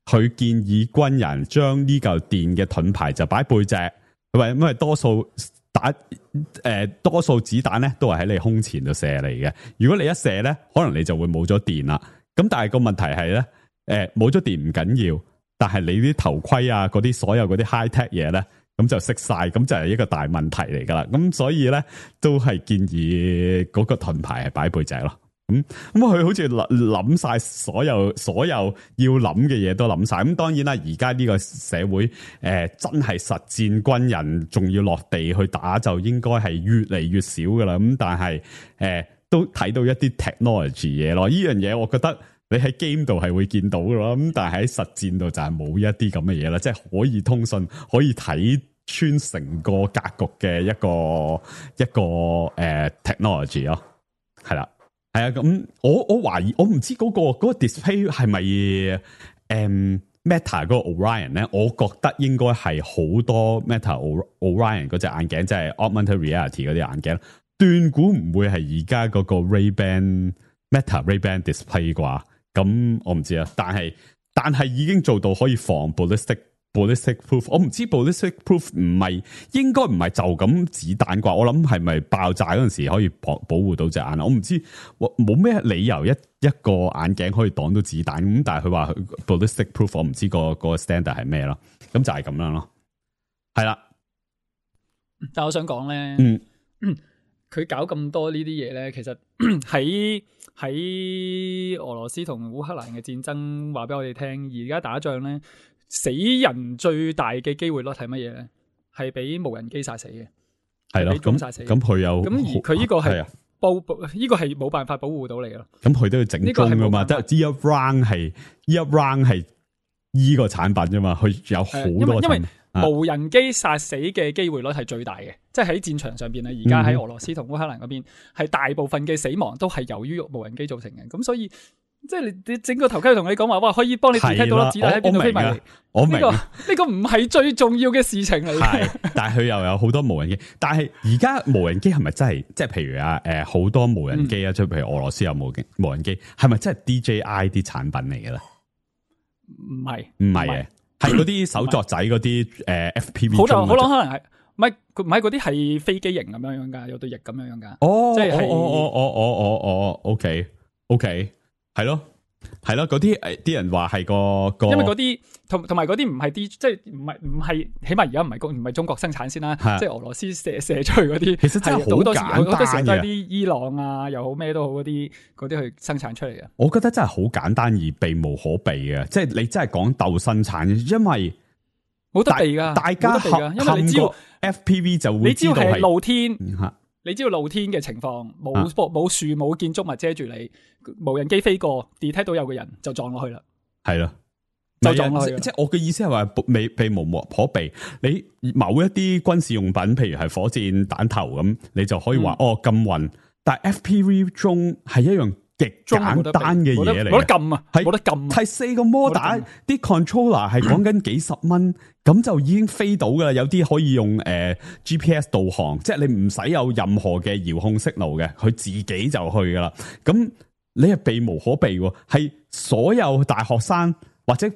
佢建議軍人將呢嚿電嘅盾牌就擺背脊，佢話因為多數子彈咧都係喺你胸前度射嚟嘅，如果你一射咧，可能你就會冇咗電啦。咁但係個問題係咧，冇咗電唔緊要，但係你啲頭盔啊，嗰啲所有嗰啲 high tech 嘢咧，咁就熄晒，咁就係一個大問題嚟噶啦。咁所以咧，都係建議嗰個盾牌係擺背脊咯。咁佢好似諗晒所有要諗嘅嘢都諗晒。咁當然啦，而家呢個社會真係實戰軍人仲要落地去打，就應該係越嚟越少噶啦。咁但係都睇到一啲 technology 嘢咯。呢樣嘢我覺得你喺 game 度係會見到噶咯。咁但係喺實戰度就係冇一啲咁嘅嘢啦，即係可以通訊，可以睇穿成個格局嘅一個technology 咯，係啦。係啊，咁我懷疑，我唔知嗰個 display 係咪Meta 嗰個 Orion 咧？我覺得應該係好多 Meta Orion 嗰隻眼鏡，即係 Augmented Reality 嗰啲眼鏡，斷估唔會係而家嗰個 Meta Ray-Ban display 啩？咁我唔知啊，但係已經做到可以防 ballistic proof， 我唔知 ballistic proof 應該唔係就咁子彈啩，我諗係咪爆炸嗰陣時可以保護到隻眼，我唔知，冇咩理由一個眼鏡可以擋到子彈，咁但係佢話 ballistic proof， 我唔知個 standard 係咩咯，咁就係咁樣咯，係啦。但係我想講咧，佢搞咁多呢啲嘢咧，其實喺俄羅斯同烏克蘭嘅戰爭，話俾我哋聽，而家打仗咧。死人最大嘅機會率係乜嘢咧？係俾無人機殺死嘅，係咯，咁殺死。咁佢有咁而佢呢個係呢個係冇辦法保護到你咯。咁佢都要整中噶嘛？即係呢一 round 係呢個產品啫嘛。佢有好多因為無人機殺死嘅機會率係最大嘅，即係喺戰場上邊啊。而家喺俄羅斯同烏克蘭嗰邊，係大部分嘅死亡都係由於無人機造成嘅。咁所以。即係你整個頭盔同你講話，哇，可以幫你 detect 到粒子彈喺邊度飛埋嚟。我明呢個唔係最重要嘅事情嚟嘅。但係佢又有好多無人機。但係而家無人機係咪真係即係譬如好多無人機啊，即係譬如俄羅斯有無人機，係咪真係 DJI 啲產品嚟嘅咧？唔係嘅，係嗰啲手作仔嗰啲FPV。好可能係唔係嗰啲係飛機型咁樣噶，有對翼咁樣噶。哦，即係OK。係咯，嗰啲人話係個，因為嗰啲同埋嗰啲唔係啲，即係唔係，起碼而家唔係中國生產先啦，即係俄羅斯射出去嗰啲，其實真係好簡單嘅，好多時都係啲伊朗啊又好咩都好嗰啲去生產出嚟嘅。我覺得真係好簡單而避無可避嘅，即係你真係講鬥生產，因為冇得避噶，大家因為你知道 FPV 就會知道係露天。你知道露天嘅情況，冇樹冇建築物遮住你，無人機飛過 detect 到有個人就撞落去啦。係啦，就撞落去。即係我嘅意思係話，避無可避。你某一啲軍事用品，譬如係火箭彈頭咁，你就可以話禁運。但係 FPV 中係一樣極簡單嘅嘢嚟，冇得撳啊，冇得撳。係4個摩打，啲 controller 係講緊幾十蚊。咁就已經飛到噶啦，有啲可以用GPS 導航，即係你唔使有任何嘅遙控息路嘅，佢自己就去噶啦。咁你係避無可避，係所有大學生或者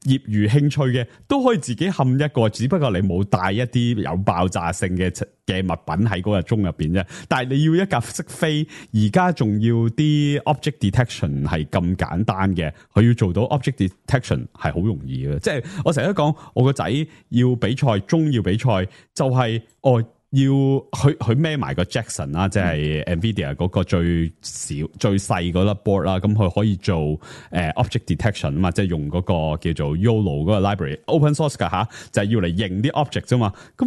業餘興趣嘅都可以自己冚一個，只不過你冇帶一啲有爆炸性嘅物品喺嗰個鐘入邊啫。但係你要一架識飛，而家仲要啲 object detection 係咁簡單嘅，佢要做到 object detection 係好容易嘅。即係我成日都講，我個仔要比賽，中要比賽，就係要佢孭埋個 Jackson 啦，即係 Nvidia 嗰個最細嗰粒 board 啦，咁佢可以做object detection 啊嘛，即係用嗰個叫做 YOLO 嗰個 library open source 噶吓，就係要嚟認啲 object 啫嘛。咁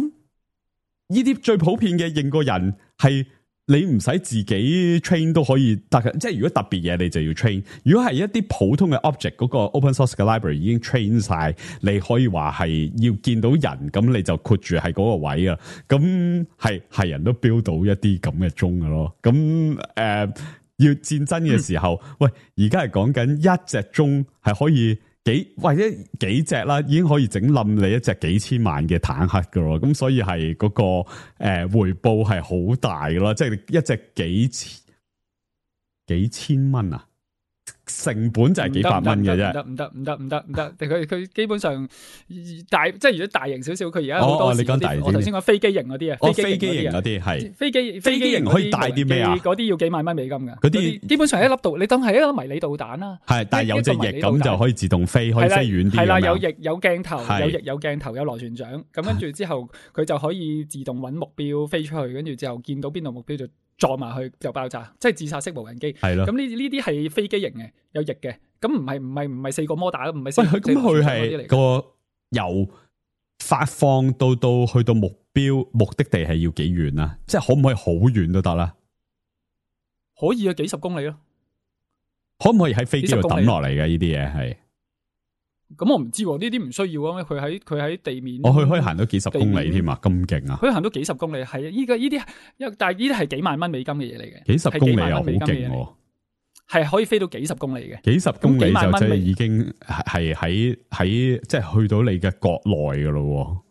呢啲最普遍嘅認個人係你唔使自己 train 都可以得嘅，即係如果特別嘢你就要 train。如果係一啲普通嘅 object，嗰個 open source 嘅 library 已經 train 晒，你可以話係要見到人，咁你就括住係嗰個位啊。咁係人都 build 到一啲咁嘅鐘嘅咯。咁要戰爭嘅時候，喂，而家係講緊一隻鐘係可以或者幾隻啦，已經可以整冧你一隻幾千萬嘅坦克噶咯，咁所以係嗰個回報係好大噶咯，即係一隻幾千蚊啊，成本就係幾百蚊嘅啫。唔得，佢基本上即係如果大型少少，佢而家好多時你講大型啲我頭先講飛機型嗰啲啊，飛機型嗰啲係飛機型可以帶啲咩啊？嗰啲要幾萬蚊美金㗎。嗰啲基本上一粒導，你當係一粒迷你導彈啦。係，但係有隻翼咁就可以自動飛，可以飛遠啲。係啦，有翼有鏡頭，有翼有鏡頭，有螺旋槳。咁跟住之後，佢就可以自動揾目標飛出去，跟住之後見到邊度目標就撞埋去就爆炸，即係自殺式無人機。係咯。咁呢啲係飛機型嘅，有翼嘅。咁唔係4個摩打，唔係4個。咁佢係個由發放到去到目的地係要幾遠啊？即係可唔可以好遠都得啦？可以啊，幾十公里咯。可唔可以喺飛機度抌落嚟嘅呢啲嘢係？咁我唔知喎，呢啲唔需要啊。佢喺地面，佢可以行到幾十公里添啊！咁勁啊！佢行到幾十公里，係啊！依啲，但係呢啲係幾萬蚊美金嘅嘢嚟嘅。幾十公里又好勁喎！係可以飛到幾十公里嘅，幾十公里就即係已經係喺即係去到你嘅國內噶咯。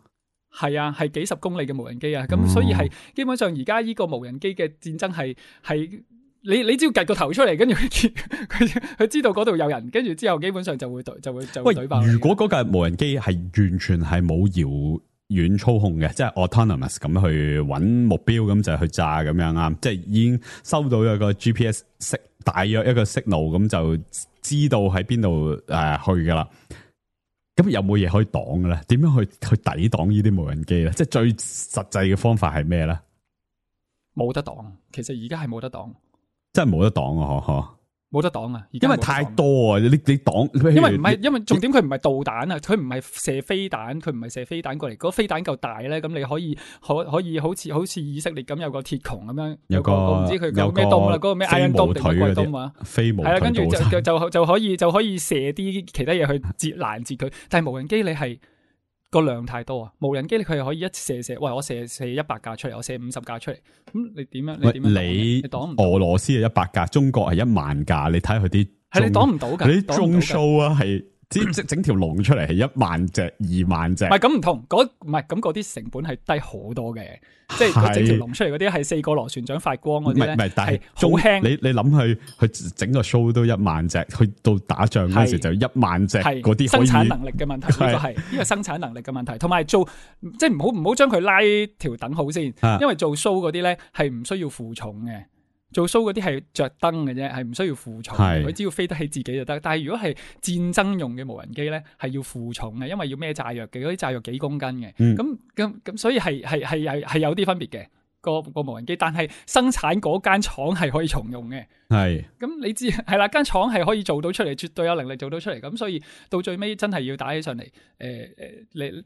係啊，係幾十公里嘅無人機啊！咁所以係基本上而家呢個無人機嘅戰爭係你只要趌個頭出嚟，跟住佢知道嗰度有人，跟住之後基本上就會懟爆。如果嗰架無人機係完全係冇遙遠操控嘅，即係 autonomous 咁去揾目標，咁就去炸咁樣啊！即係已經收到一個 GPS 大約一個 signal，咁就知道喺邊度去噶啦。咁有冇嘢可以擋嘅咧？點樣去抵擋呢啲無人機咧？即係最實際嘅方法係咩咧？冇得擋，其實而家係冇得擋，真係冇得擋啊！嗬。冇得擋啊！因為太多啊！你擋，因為唔係，因為重點佢唔係導彈啊，佢唔係射飛彈，佢唔係射飛彈過嚟。嗰個飛彈夠大咧，咁你可以好似以色列咁有個鐵穹咁樣，有個我唔知佢叫咩東啦，嗰個咩 Iron Dome 定乜鬼東啊？飛毛腿係啦，跟住就可以射啲其他嘢去攔截佢。但係無人機你係個量太多啊！無人機佢係可以一射，喂，我射100架出嚟，我射50架出嚟，咁你點樣？你擋唔到？俄羅斯係100架，中國係1萬架，你睇下佢啲係你擋唔到㗎？你啲中 show 啊，係整條龍出嚟係1萬隻、2萬隻。唔係咁唔同，唔係咁嗰啲成本係低好多嘅，即係佢整條龍出嚟嗰啲係4個螺旋槳發光嗰啲咧，但係好輕。你諗佢整個 show 都1萬隻，去到打仗嗰時就1萬隻嗰啲生產能力嘅問題，呢個生產能力嘅問題，同埋做即係唔好將佢拉條等號先，因為做 show 嗰啲咧係唔需要負重嘅。做 show 嗰啲係着燈嘅啫，係唔需要負重，佢只要飛得起自己就得。但係如果係戰爭用嘅無人機咧，係要負重嘅，因為要孭炸藥嘅，嗰啲炸藥幾公斤嘅。咁所以係有啲分別嘅個無人機，但係生產嗰間廠係可以重用嘅。係咁你知係啦，間廠係可以做到出嚟，絕對有能力做到出嚟。咁所以到最尾真係要打起上嚟，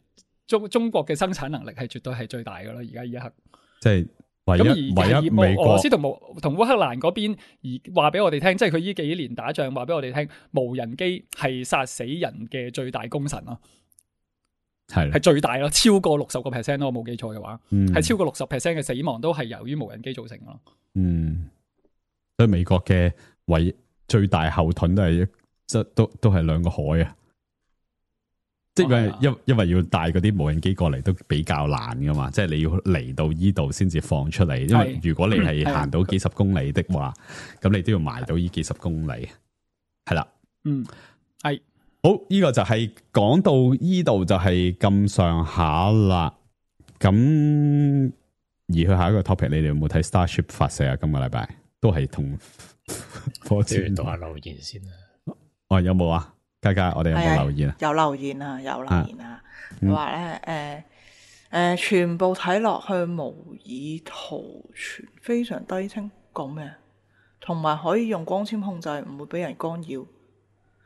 中國嘅生產能力係絕對係最大噶咯。而家呢一刻即係。咁而俄羅斯同烏克蘭嗰邊而話俾我哋聽，即係佢呢幾年打仗話俾我哋聽，無人機係殺死人嘅最大功臣咯，係最大咯，超過60%咯，我冇記錯嘅話，係超過60% 嘅死亡都係由於無人機造成咯。所以美國嘅最大後盾都係都係2個海啊。即係因為要帶嗰啲無人機過嚟都比較難噶嘛，即係你要嚟到依度先至放出嚟。因為如果你係行到幾十公里的話，咁你都要埋到呢幾十公里，係啦。係好，呢個就係講到依度就係咁上下啦。咁而去下一個 topic，你哋有冇睇 Starship 發射啊？今個禮拜都係同火箭讀下留言先啊。有冇啊？嘉嘉，我哋有冇留言啊？有留言啊，有留言啊。佢話咧，全部睇落去模擬圖全非常低清，講咩？同埋可以用光纖控制，唔會俾人干擾。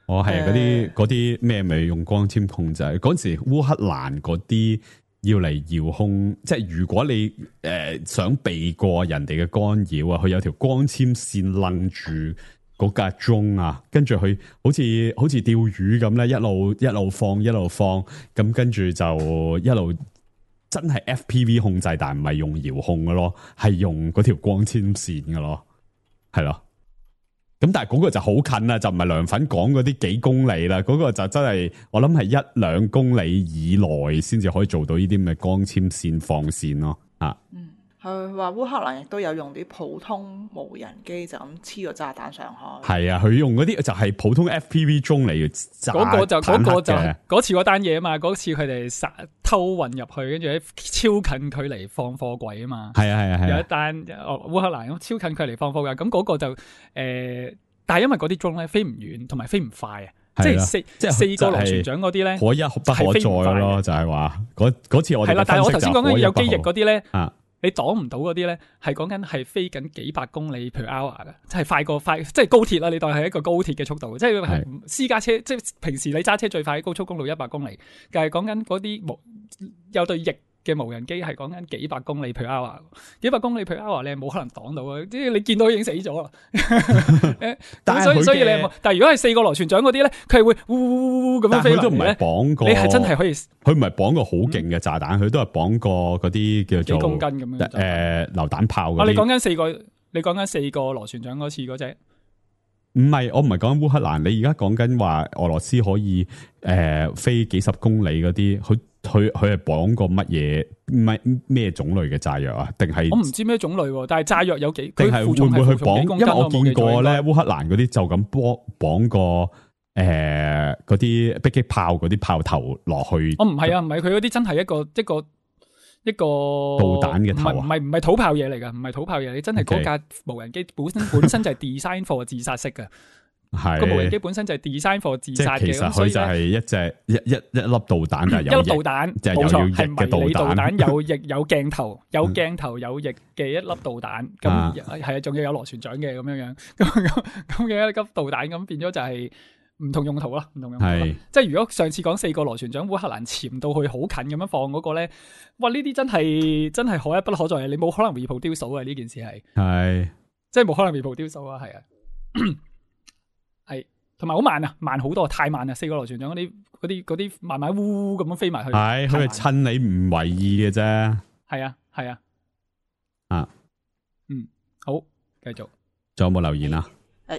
係嗰啲咩咪用光纖控制？嗰時烏克蘭嗰啲要嚟遙控，即係如果你想避過人哋嘅干擾啊，佢有條光纖線楞住嗰架鐘啊，跟住佢好似釣魚咁咧，一路放，咁跟住就一路真係 FPV 控制，但唔係用遙控嘅咯，係用嗰條光纖線嘅咯，係咯。咁但係嗰個就好近啦，就唔係涼粉講嗰啲幾公里啦，嗰個就真係我諗係1-2公里以內先至可以做到呢啲咁嘅光纖線放線咯。佢話烏克蘭亦都有用啲普通無人機就咁黐個炸彈上去。係啊，佢用嗰啲就係普通 FPV 中嚟炸嗰個就嘅嗰次嗰單嘢啊嘛，嗰次佢哋偷運入去，跟住喺超近距離放貨櫃啊嘛。係啊，有一單烏克蘭咁超近距離放貨櫃，咁嗰個就但係因為嗰啲 drone 咧飛唔遠，同埋飛唔快啊。即係四個螺旋槳嗰啲咧，可一不可再咯，就係話嗰次我哋係啦。但係我頭先講緊有機翼嗰啲咧，啊，你擋唔到嗰啲咧，係講緊係飛緊幾百公里 per hour 嘅，即係快，即係高鐵啦。你當係一個高鐵嘅速度，即係私家車，即係平時你揸車最快喺高速公路100公里，但係講緊嗰啲有對翼嘅無人機係講緊幾百公里 per hour， 幾百公里 per hour 你係冇可能擋到嘅，即係你見到已經死咗啦。所以你有冇？但係如果係4個螺旋槳嗰啲咧，佢係會呼咁樣飛落嚟咧。但係佢都唔係綁過，你係真係可以。佢唔係綁個好勁嘅炸彈，佢都係綁過嗰啲叫做幾公斤咁樣。榴彈炮嗰啲。你講緊4個螺旋槳嗰次嗰隻。唔係，我唔係講烏克蘭，你而家講緊話俄羅斯可以飛幾十公里嗰啲，佢係綁過乜嘢？唔係咩種類嘅炸藥啊？定係我唔知咩種類，但係炸藥有幾？定係會唔會去綁？因為我見過咧，烏克蘭嗰啲就咁綁個嗰啲迫擊炮嗰啲炮頭落去。唔係啊，唔係佢嗰啲真係一個導彈嘅頭，唔係土炮嘢嚟噶，唔係土炮嘢，你真係嗰架無人機本身就係 design for 自殺式嘅。係個無人機本身就係 design for 自殺嘅，其實佢就係一隻一粒導彈，但係有一粒導彈，就係有翼嘅迷你導彈，有翼有鏡頭，有鏡頭有翼嘅一粒導彈，咁係啊，仲要有螺旋槳嘅咁樣，咁嘅一粒導彈，咁變咗就係唔同用途啦，唔同用途。即係如果上次講4個螺旋槳，烏克蘭潛到去好近咁樣放嗰個咧，哇！呢啲真係可一不可再，你冇可能 reproduce 啊！呢件事係即係冇可能 reproduce啊，係啊。係，同埋好慢啊，慢好多，太慢啦！4個螺旋槳嗰啲慢慢烏咁樣飛埋去，係佢係趁你唔為意嘅啫。係啊，好，繼續。仲有冇留言啊？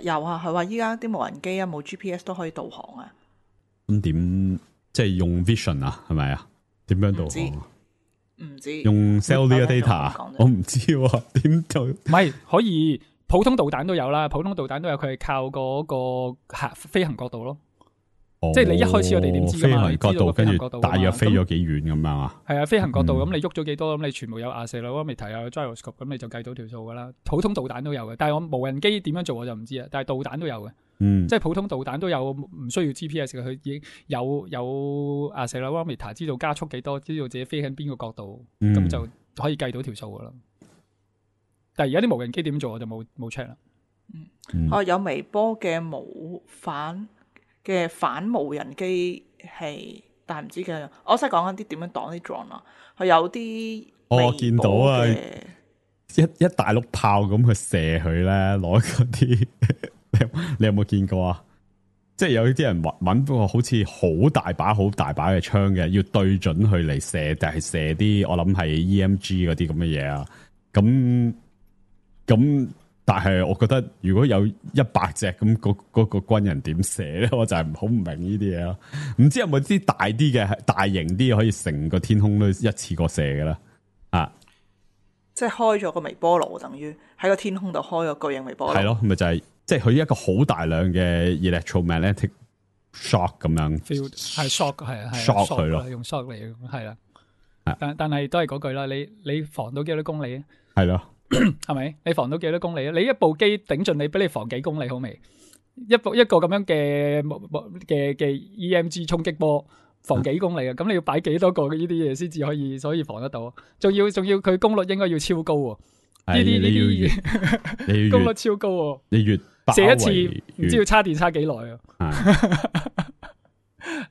有啊，佢話依家啲無人機啊冇 GPS 都可以導航啊。咁點即係用 Vision 啊？係咪啊？點樣導航啊？唔知用 Cellular Data， 我唔知點做。唔係可以。普通導彈都有啦，普通導彈都有，佢係靠嗰個飛行角度咯。即係你一開始我哋點知㗎嘛？飛行角度跟住大約飛咗幾遠咁樣啊？係啊，飛行角度咁你喐咗幾多咁，你全部有accelerometer有 gyroscope， 咁你就計到條數噶啦。普通導彈都有嘅，但係我無人機點樣做我就唔知啊。但係導彈都有嘅，即係普通導彈都有，唔需要 GPS 嘅，佢已經有accelerometer， 知道加速幾多，知道自己飛喺邊個角度，咁就可以計到條數噶啦。但係而家啲無人機點做我就冇 check 啦。有微波嘅反無人機器，但係唔知嘅。我識講緊啲點樣擋啲 drone 啊。佢有啲我見到啊，一大碌炮咁去射佢咧，攞嗰啲你有冇見過啊？即係有啲人揾個好似好大把嘅槍嘅，要對準佢嚟射，但係射啲我諗係 EMG 嗰啲咁嘅嘢啊。咁，但係我覺得如果有100隻咁，嗰個軍人點射咧？我就係好唔明呢啲嘢咯。唔知有冇啲大啲嘅、大型啲可以成個天空都一次過射嘅啦？即係開咗個微波爐，等於喺個天空度開個巨型微波爐。係咯，咪就係即係佢一個好大量嘅 electromagnetic shock 咁樣。係 shock 係 shock 佢咯，用 shock 嚟係啦。但係都係嗰句啦，你防到幾多公里啊？係咯。係咪？你防到幾多公里啊？你一部機頂盡你，俾你防幾公里好未？一個咁樣嘅 EMG 衝擊波防幾公里啊？咁你要擺幾多個呢啲嘢先至可以防得到？仲要佢功率應該要超高喎。呢啲功率超高喎。你越射一次唔知要插電插幾耐啊？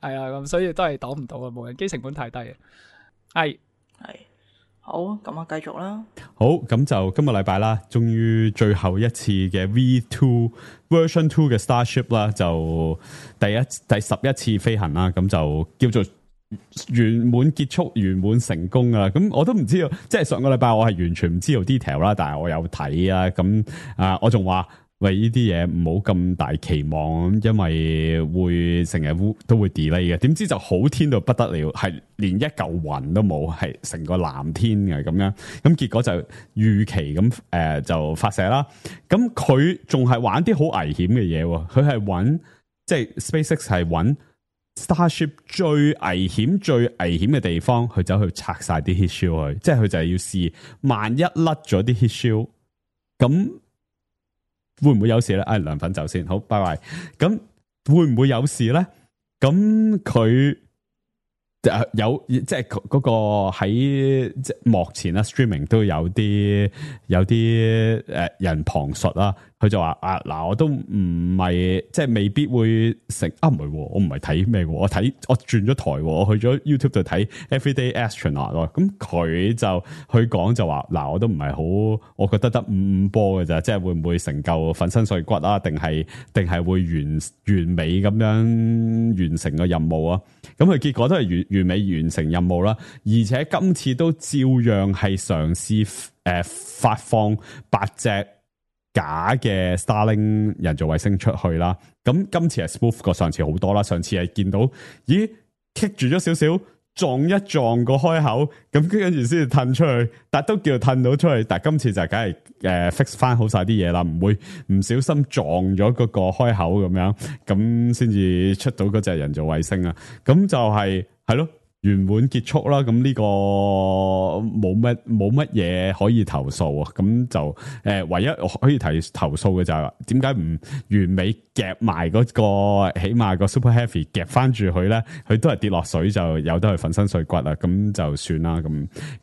係啊，咁所以都係擋唔到啊！無人機成本太低啊。係。好，咁啊，繼續啦。好，咁就今個禮拜啦，終於最後一次嘅 V2 Version 2嘅 Starship 啦，就第11次飛行啦，咁就叫做圓滿結束、圓滿成功啊！咁我都唔知道，即係上個禮拜我係完全唔知道 detail 啦，但係我有睇啊，咁我仲話喂，呢啲嘢唔好咁大期望，因為會成日都會 delay 嘅。點知就好天到不得了，係連一嚿雲都冇，係成個藍天嘅咁樣。咁結果就預期咁就發射啦。咁佢仲係玩啲好危險嘅嘢喎，佢係揾即係 SpaceX 係揾 Starship 最危險嘅地方，佢走去拆晒啲 heat shield 去，即係佢就係要試萬一甩咗啲 heat shield，咁會唔會有事咧？涼粉走先，好，拜拜。咁會唔會有事咧？咁佢有即係嗰個喺即幕前啦 ，streaming 都有啲人旁述啦。佢就話嗱，我都唔係即係未必會成唔係，我唔係睇咩，我轉咗台，我去咗 YouTube 度睇 Everyday Astronaut 咯。咁佢講就話嗱，我都唔係好，我覺得得5波嘅咋，即係會唔會成嚿粉身碎骨啊？定係會完美咁樣完成個任務啊？咁佢結果都係完美完成任務啦，而且今次都照樣係嘗試發放8隻假嘅 Starlink 人造衛星出去啦，咁今次係 smooth 過上次好多啦。上次係見到咦棘住咗少少，撞一撞個開口，咁跟住先至褪出去，但都叫褪到出去。但今次就梗係fix 翻好晒啲嘢啦，唔會唔小心撞咗嗰個開口咁樣，咁先至出到嗰隻人造衛星啊。咁就係咯。圓滿結束啦，咁呢個冇乜嘢可以投訴啊，咁就唯一可以投訴嘅就係點解唔完美夾埋嗰個，起碼個 Super Heavy 夾翻住佢咧，佢都係跌落水就有得去粉身碎骨啦，咁就算啦，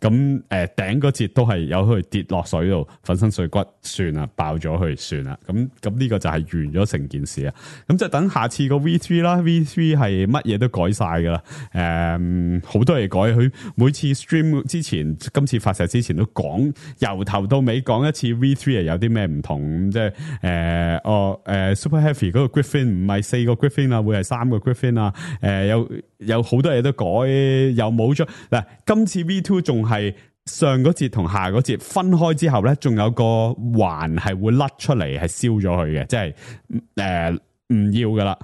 咁頂嗰節都係有去跌落水度粉身碎骨，算啦，爆咗佢算啦，咁呢個就係完咗成件事啊，咁就等下次個 V3 啦 ，V3 係乜嘢都改晒噶啦，好多嘢改，佢每次 stream 之前，今次發射之前都講，由頭到尾講一次 V3 係有啲咩唔同，即係Super Heavy 嗰個 Griffin 唔係4個 Griffin 啊，會係3個 Griffin 啊，有好多嘢都改，又冇咗嗱，今次 V2 仲係上嗰節同下嗰節分開之後咧，仲有個環係會甩出嚟，係燒咗佢嘅，即係唔要噶啦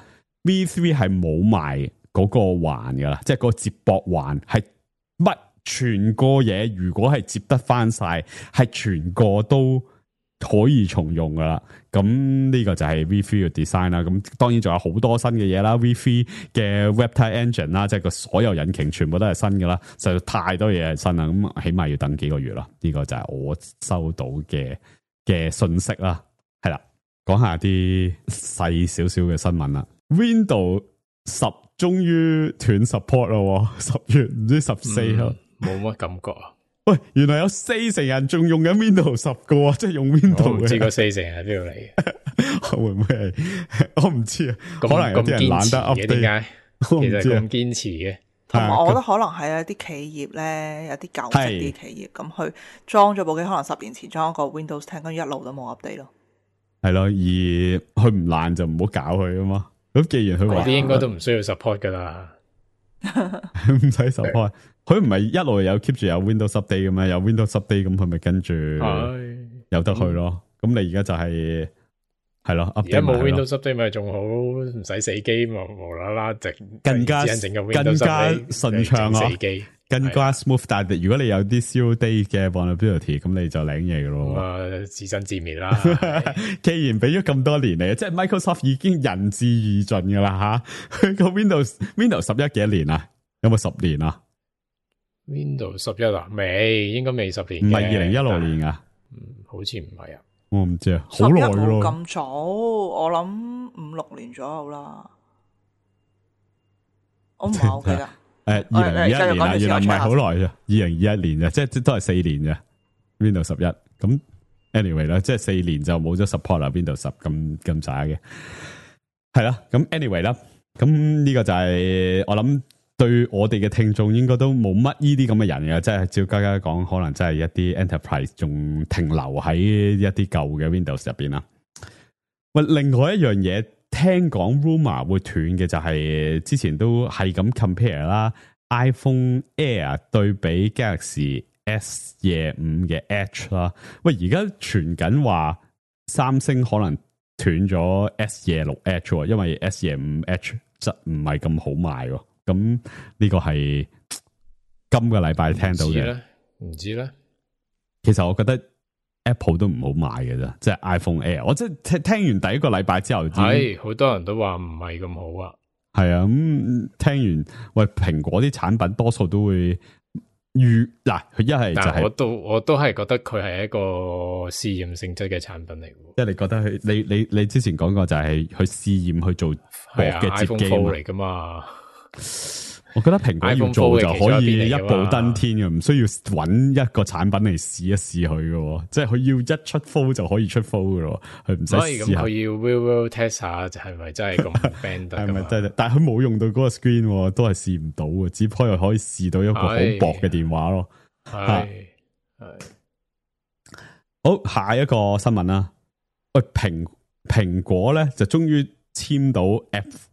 ，V3 係冇埋。嗰個環噶啦，即係個接駁環係乜全個嘢，如果係接得翻晒，係全個都可以重用噶啦。咁呢個就係 V3 嘅 design 啦。咁當然仲有好多新嘅嘢啦。V3 嘅 Reptile Engine 啦，即係個所有引擎全部都係新噶啦，實在太多嘢係新啦。咁起碼要等幾個月啦。呢個就係我收到嘅信息啦。係啦，講下啲細少少嘅新聞啦。Windows 10終於斷 support 咯，10月唔知14號，冇乜感覺啊！喂，原來有40%人仲用緊 Windows 10噶，即係用 Windows。我唔知個40%係邊度嚟嘅，會唔會係？我唔知啊，可能有啲人懶得 update。點解？其實咁堅持嘅，同埋我覺得可能係一啲企業咧，有啲舊式啲企業咁，佢裝咗部機，可能10年前裝一個 Windows 10，跟住一路都冇 update 咯。係咯，而佢唔爛就唔好搞佢啊嘛。咁既然佢話啲應該都唔需要 support 噶啦，唔使 support，佢唔係一路有 keep 住有 Windows update 嘅咩？有 Windows update 咁佢咪跟住有得去咯。咁你而家就係咯，而家冇 Windows update 咪仲好，唔使死機嘛，無啦啦更加順暢啊！更加 smooth，但係如果你有啲 zero day 嘅 vulnerability， 咁你就領嘢噶咯。自生自滅啦。既然俾咗咁多年嚟，即係 Microsoft 已經仁至義盡噶啦吓。佢個 Windows 11幾多年啊？有冇10年啊 ？Windows 11啊？未，應該未10年。唔係2016年啊？好似唔係啊。我唔知啊，好耐咯。咁早，我諗5-6年左右啦。我唔係好記得。2021年啊，原來唔係好耐啫，2021年啫，即係都係4年啫。Windows 11咁 anyway 啦，即係4年就冇咗 support 啦。Windows 10咁渣嘅，係啦。咁 anyway 啦，咁呢個就係我諗對我哋嘅聽眾應該都冇乜呢啲咁嘅人嘅，即係照家家講，可能真係一啲 enterprise 仲停留喺一啲舊嘅 Windows 入邊啦。喂，另外一樣嘢。聽講 rumor 會斷嘅就係之前都係咁 compare 啦 ，iPhone Air 對比 Galaxy S25嘅 Edge 啦。喂，而家傳緊話三星可能斷咗 S26H 喎，因為 S25H 質唔係咁好賣喎。咁呢個係今個禮拜聽到嘅，唔知咧。其實我覺得 Apple 都唔好買嘅啫，即係 iPhone Air。我即係聽完第一個禮拜之後，係好多人都話唔係咁好啊。係啊，咁聽完喂，蘋果啲產品多數都會嗱，佢一係就係我都係覺得佢係一個試驗性質嘅產品嚟嘅。即係你覺得佢你之前講過就係去試驗去做薄嘅摺機嚟噶嘛？我覺得蘋果要做就可以一步登天嘅，唔需要揾一個產品嚟試一試佢嘅，即係佢要一出 Fold 就可以出 Fold 嘅，佢唔使試下。咁佢要 real test 下，就係咪真係咁 band 得？係咪真係？但係佢冇用到嗰個 screen，都係試唔到嘅，只不過可以試到一個好薄嘅電話咯。係好，下一個新聞啦。喂，蘋果咧就終於簽到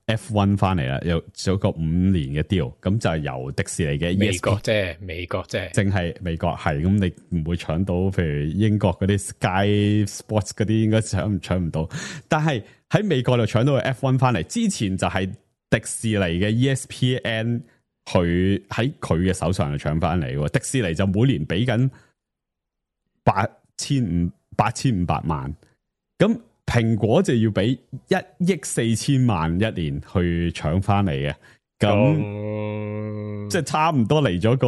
F1 翻嚟啦，有咗個5年嘅 deal， 咁就係由迪士尼嘅美國啫，淨係美國係咁，你唔會搶到，譬如英國嗰啲 Sky Sports 嗰啲，應該搶唔到。但係喺美國就搶到個 F1 翻嚟，之前就係迪士尼嘅 ESPN 佢喺佢嘅手上就搶翻嚟。迪士尼就每年俾緊8500萬，咁。蘋果就要俾1億4千萬一年去搶翻嚟嘅，咁即係差唔多嚟咗個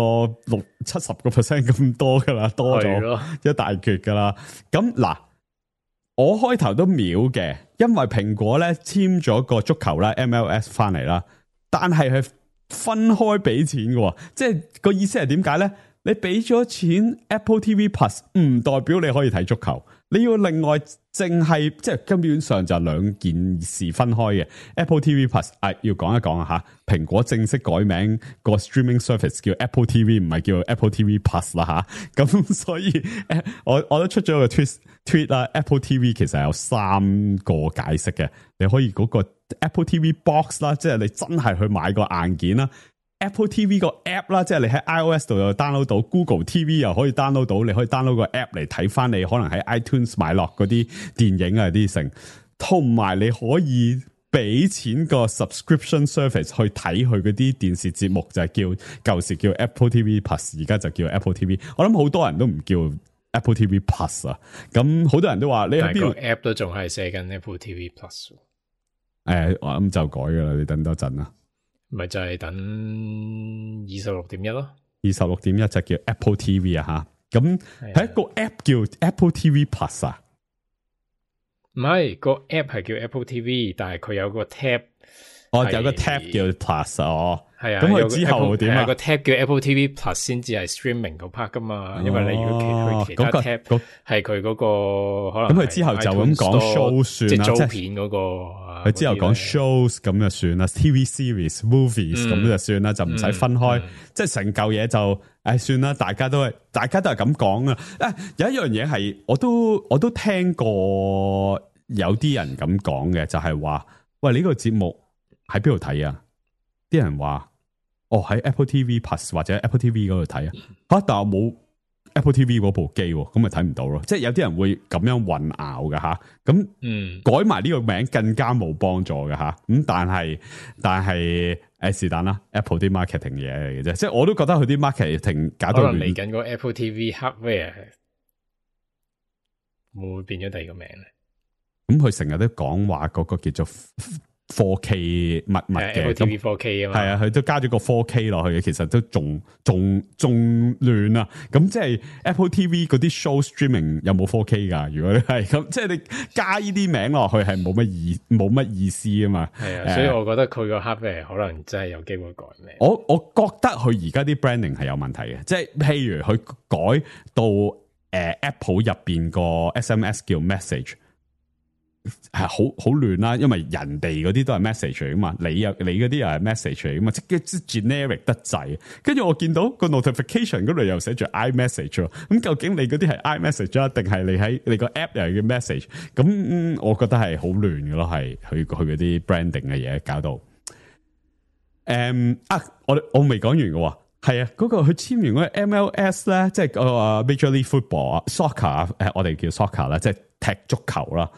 60-70% 咁多噶啦，多咗一大橛噶啦。咁嗱，我開頭都秒嘅，因為蘋果咧簽咗個足球啦 MLS 翻嚟啦，但係分開俾錢嘅，即係個意思係點解咧？你俾咗錢 Apple TV Plus 唔代表你可以睇足球，你要另外淨係即係根本上就兩件事分開嘅。Apple TV Plus 要講一講啊吓，蘋果正式改名個 streaming service 叫 Apple TV， 唔係叫 Apple TV Plus 啦吓。咁所以我都出咗個 tweet 啦 ，Apple TV 其實有3個解釋嘅，你可以嗰個 Apple TV Box 啦，即係你真係去買個硬件啦。Apple TV 個 app 啦，即係你喺 iOS 度又 download 到 ，Google TV 又可以 download 到，你可以 download 個 app 嚟睇翻你可能喺 iTunes 買落嗰啲電影啊啲成，同埋你可以俾錢個 subscription service 去睇佢嗰啲電視節目，就係舊時叫 Apple TV Plus， 而家就叫 Apple TV。我諗好多人都唔叫 Apple TV Plus 啊，咁好多人都話你喺邊個 app 都仲係寫緊 Apple TV Plus。我諗就改噶啦，你等多陣啦。咪就係等 26.1 咯 ，26.1 就叫 Apple TV 啊吓，咁係一個 app 叫 Apple TV Plus 啊，唔係個 app 係叫 Apple TV， 但係佢有個 tab， 有個 tab 叫 Plus 係啊，咁佢之後點啊？個 tab 叫 Apple TV Plus 先至係 streaming 嗰 part 噶嘛，因為你如果去其他 tab 係佢嗰個可能，咁佢之後就咁講 show 算啦，即係租片嗰個，佢之後講 shows 咁就算啦 ，TV series、movies 咁就算啦，就唔使分開，即係成嚿嘢就算啦，大家都係咁講啊。有一樣嘢係我都聽過有啲人咁講嘅，就係話喂，呢個節目喺邊度睇啊？啲人話喺 Apple TV Plus 或者 Apple TV 嗰度睇啊，但我冇 Apple TV 嗰部機，咁咪睇唔到咯。即係有啲人會咁樣混淆㗎吓，咁改埋呢個名更加冇幫助㗎吓。咁但係是但啦 ，Apple 啲 marketing 嘢嚟嘅啫。即係我都覺得佢啲 marketing 搞到可能嚟緊個 Apple TV Hardware 會唔會變咗第二個名咧？咁佢成日都講話嗰個叫做4K 密嘅 Apple TV 4K 啊嘛，係啊，佢都加咗個 4K 落去嘅，其實都仲亂啊！咁即係 Apple TV 嗰啲 show streaming 有冇 4K 噶？如果你係咁，即係你加呢啲名落去係冇乜意思啊嘛。係啊，所以我覺得佢個 hardware 可能真係有機會改名。我覺得佢而家啲 branding 係有問題嘅，即係譬如佢改到Apple 入邊個 SMS 叫 message。係好亂啦，因為人哋嗰啲都係 message 嚟噶嘛，你嗰啲又係 message 嚟噶嘛，即 generic 得滯。跟住我見到個 notification 嗰度又寫住 iMessage， 咁究竟你嗰啲係 iMessage 啊，定係你喺你個 app 又係叫 message？咁我覺得係好亂噶咯，係佢嗰啲 branding 嘅嘢搞到。我未講完嘅喎，係啊，嗰個佢簽完嗰個 MLS 咧，即係個 Major League Football Soccer，我哋叫 Soccer 啦，即係踢足球啦。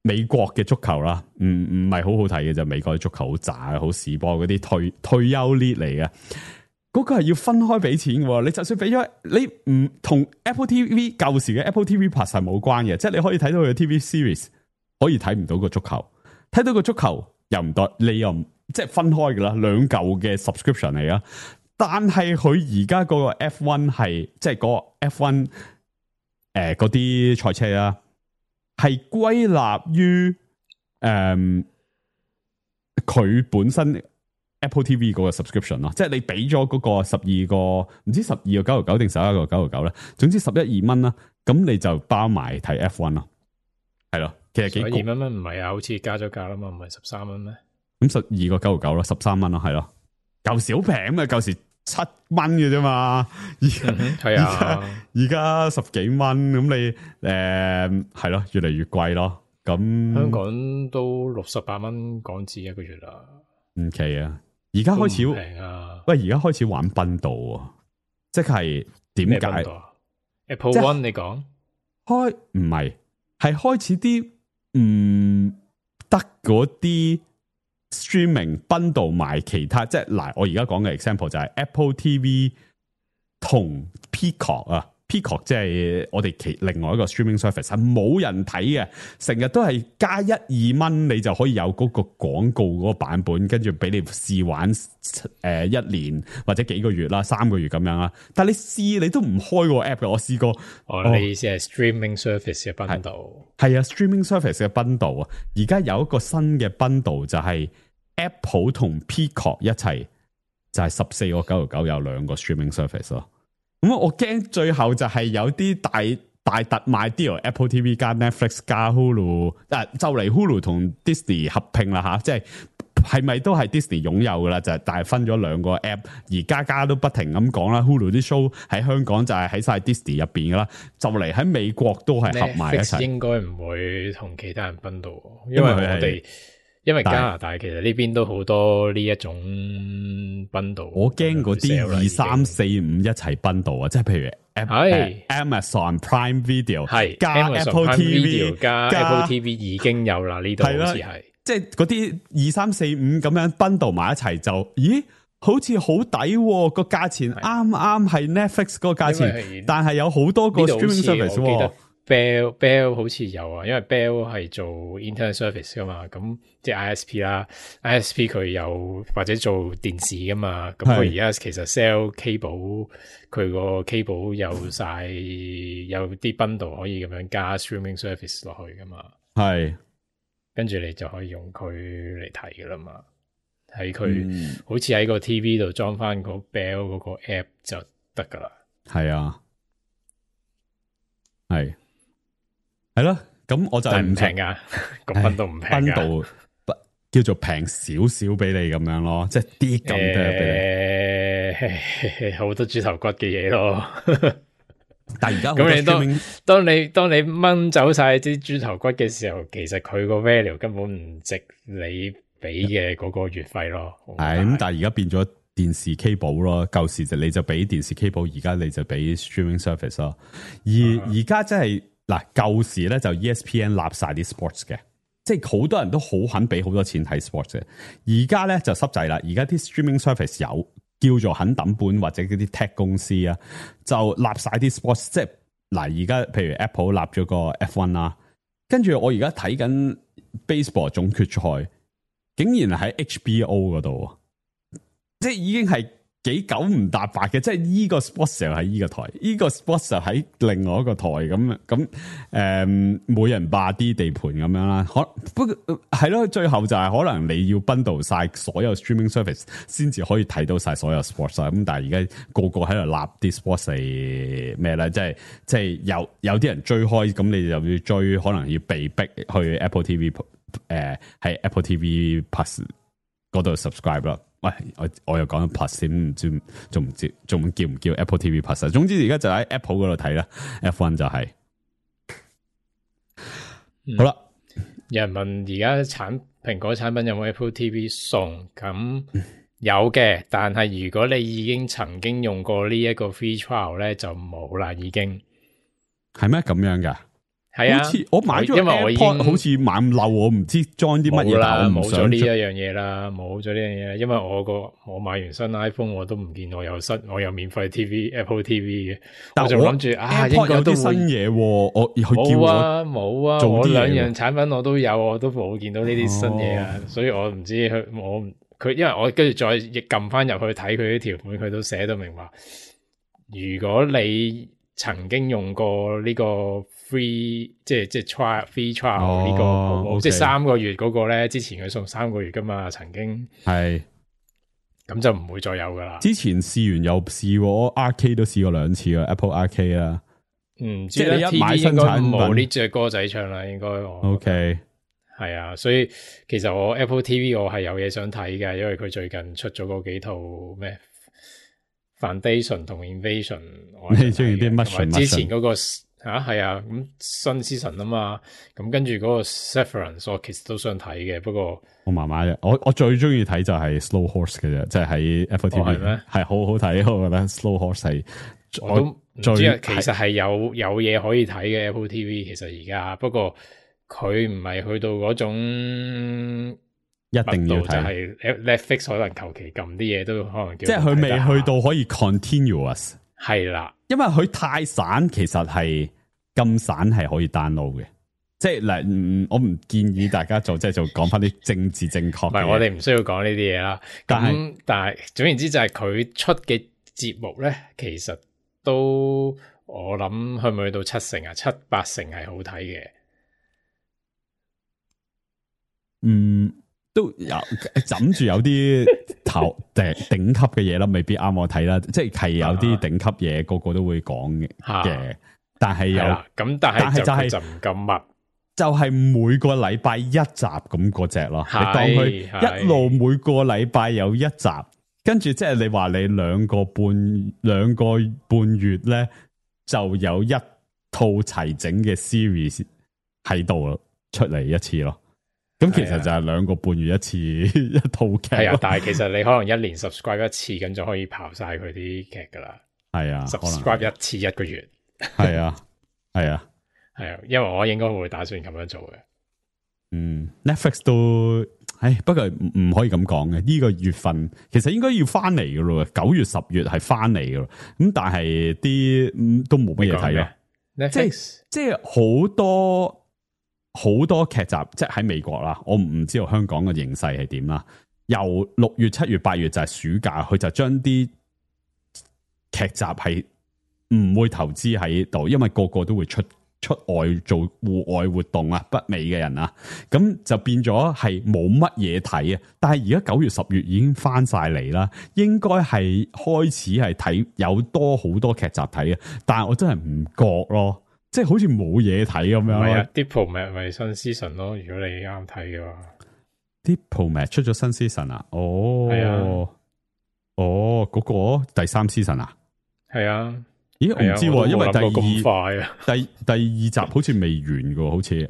美國嘅足球啦，唔係好好睇嘅就美國嘅足球好渣好屎波嗰啲退休 league 嚟嘅，嗰個係要分開俾錢嘅。你就算俾咗，你唔同 Apple TV 舊時嘅 Apple TV Plus 係冇關嘅，即係你可以睇到佢嘅 TV series，可以睇唔到個足球，睇到個足球又唔得，你又唔即係分開噶啦，兩嚿嘅 subscription 嚟噶。但係佢而家嗰個 F1 係即係嗰個 F1 嗰啲賽車啦。係歸納於佢本身 Apple TV 嗰個 subscription 咯，即係你俾咗嗰個12個唔知12個9.99定11個9.99咧，總之11-2蚊啦，咁你就包埋睇 F1 咯，係咯，其實幾2蚊唔係啊，好似加咗價啦嘛，唔係13蚊咩？咁12個9.99咯，13蚊咯，係咯，舊時好平啊，舊時7蚊嘅啫嘛，係啊，而家10幾蚊，咁你係咯，越嚟越貴咯。咁香港都68蚊港紙一個月啦，唔奇啊！而家開始平啊，喂，而家開始玩賓道啊，即係點解 ？Apple One 你講開唔係開始啲唔得嗰啲。streaming bundle 埋其他，即係嗱，我而家講嘅 example 就係 Apple TV 同 Peacock 啊 ，Peacock 即係我哋另外一個 streaming service 係冇人睇嘅，成日都係加1-2蚊，你就可以有嗰個廣告嗰個版本，跟住俾你試玩1年或者幾個月啦，3個月咁樣啦。但係你試你都唔開個 app 嘅，我試過。你意思係 streaming service 嘅 bundle？係啊 ，streaming service 嘅 bundle 啊，而家有一個新嘅 bundle 就係 Apple 同 Peacock 一齊，就係14個9.99有2個 streaming service 咯。咁我驚最後就係有啲大特賣 deal，Apple TV 加 Netflix 加 Hulu， 就嚟 Hulu 同 Disney 合併啦吓，即係咪都係 Disney 擁有噶啦？就係但係分咗2個 app， 而家都不停咁講啦。Hulu 啲 show 喺香港就係喺晒 Disney 入邊噶啦，就嚟喺美國都係合埋一齊。應該唔會同其他人分到，因為加拿大其實呢邊都好多呢一種 bundle，我驚嗰啲2、3、4、5一齊 bundle啊，即係譬如 Amazon Prime Video 係加 Apple TV 加 Apple TV 已經有啦，呢度好似係，即係嗰啲2、3、4、5咁樣 bundle 埋一齊就，咦，好似好抵個價錢，啱係 Netflix 嗰個價錢，但係有好多個 streaming service。Bell 好似有啊，因為 Bell 係做 internet service 噶嘛，咁即係 ISP 啦 ，ISP 佢有或者做電視噶嘛，咁佢而家其實 sell cable，佢個 cable 有晒有啲 bundle 可以咁樣加 streaming service 落去噶嘛，係，跟住你就可以用佢嚟睇噶啦嘛，喺佢好似喺個 TV 度裝翻個 Bell 嗰個 app 就得噶啦，係啊，係咯，咁我就係唔平噶，個分都唔平，分度叫做平少少俾你咁樣咯，即係啲咁多俾你，好多豬頭骨嘅嘢咯。但係而家咁你當你掹走晒啲豬頭骨嘅時候，其實佢個 value 根本唔值你俾嘅嗰個月費咯。係咁，但係而家變咗電視 cable 咯，舊時就你就俾電視 cable，而家你就俾 streaming service 咯。而家真係。嗱，舊時咧就 ESPN 立晒啲 sports 嘅，即係好多人都好肯俾好多錢睇 sports 嘅。而家咧就濕滯啦，而家啲 streaming service 有叫做肯抌本或者嗰啲 tech 公司啊，就立晒啲 sports。即係嗱，而家譬如 Apple 立咗個 F1 啦，跟住我而家睇緊 baseball 總決賽，竟然喺 HBO 嗰度，即係已經係。幾九唔搭八嘅，即係依個 sports 就喺依個台，依個 sports 就喺另外一個台咁每人霸啲地盤咁樣啦。不過係咯，最後就係可能你要 bundle 晒所有 streaming service 先至可以睇到晒所有 sports 啊。咁但係而家個個喺度立啲 sports 係咩咧？即係有啲人追開，咁你就要追，可能要被逼去 Apple TV 喺 Apple TV Plus 嗰度 subscribe 啦。喂，我又講咗 Plus 先，唔知仲叫唔叫 Apple TV Plus？ 總之而家就喺 Apple 嗰度睇啦。F1 就係、好啦。有人問而家蘋果產品有冇 Apple TV 送？咁有嘅，但係如果你已經曾經用過呢一個 free trial 咧，就冇啦，已經係咩咁樣噶？係啊，好似我買咗因為我已經 AirPod 好似猛漏，我唔知裝啲乜嘢，冇啦，但我唔想冇咗呢一樣嘢啦，冇咗呢樣嘢，因為我買完新 iPhone 我都唔見我有免費 Apple TV 嘅，但我就諗住啊，應 AirPod 有該都會啲新嘢喎，我佢叫我冇啊冇啊，做啲嘢我兩喎樣產品我都有，我都冇見到呢啲新嘢啊，所以我唔知佢，因為我跟住再亦撳翻入去睇佢啲條款，佢都寫到明話，如果你曾經用過呢個 free 即係 free trial 呢個服務， OK 即係3個月嗰個咧，之前佢送3個月噶嘛，曾經係咁就唔會再有噶啦。之前試完又試過 Arcade 都試過2次啊 Apple Arcade 啦。唔知即係你一買 TV 新應該產品冇呢隻歌仔唱啦，應該我 OK，係啊，所以其實我 Apple TV 我係有嘢想睇嘅，因為佢最近出咗嗰幾套咩 Foundation 同 Invasion，我你中意啲乜同埋之前嗰個係啊，咁新 season 啊嘛，咁跟住嗰個 Severance 我其實都想睇嘅，不過我麻麻啫。我最中意睇就係 Slow Horse 嘅啫，即係喺 Apple 係 TV 咩係好好睇，我覺得 Slow Horse 係我都唔知最啊，其實係有嘢可以睇嘅 Apple TV，其實而家不過佢唔係去到嗰種一定要密度就睇，係 Netflix 可能求其撳啲嘢都可能叫即係佢未去到可以 continuous，係啦，因為佢太散，其實係咁散係可以 download 嘅。即係嗱，我唔建議大家做，即係就講翻啲政治正確嘅嘢。唔係我哋唔需要講呢啲嘢啦。但係總言之就係佢出嘅節目咧，其實都我諗去唔去到7成啊，7-8成係好睇嘅。都有枕住有啲頂級嘅嘢啦，未必啱我睇啦。即係有啲頂級嘢，個個都會講嘅。但係咁，但係就唔咁密，就係每個禮拜一集咁嗰隻咯。你當佢一路每個禮拜有一集，跟住即係你話你兩個半月咧，就有一套齊整嘅 series 喺度出嚟一次咯。咁其實就係2個半月一次一套劇。係啊，但係其實你可能1年 subscribe 一次，咁就可以刨晒佢啲劇噶啦。係啊 ，subscribe 一次1個月。係啊，係啊，係啊，因為我應該會打算咁樣做嘅。Netflix 都，不過唔可以咁講嘅。呢個月份其實應該要翻嚟噶咯，9月10月係翻嚟噶咯。咁但係啲都冇乜嘢睇咯。即係好多劇集，即係喺美國啦。我唔知道香港嘅形勢係點啦。由6月、7月、8月就係暑假，佢就將啲劇集係唔會投資喺度，因為個個都會出外做戶外活動啊，北美嘅人啊，咁就變咗係冇乜嘢睇啊。但係而家9月、10月已經翻晒嚟啦，應該係開始係睇有好多劇集睇啊。但係我真係唔覺咯。即係好似冇嘢睇咁樣。唔係啊，Diplomat 咪新 season 咯。如果你啱睇嘅話，Diplomat 出咗新 season 啊？哦，係啊，嗰個第3 season 啊？係啊。咦，我唔知，因為第二集好似未完噶，好似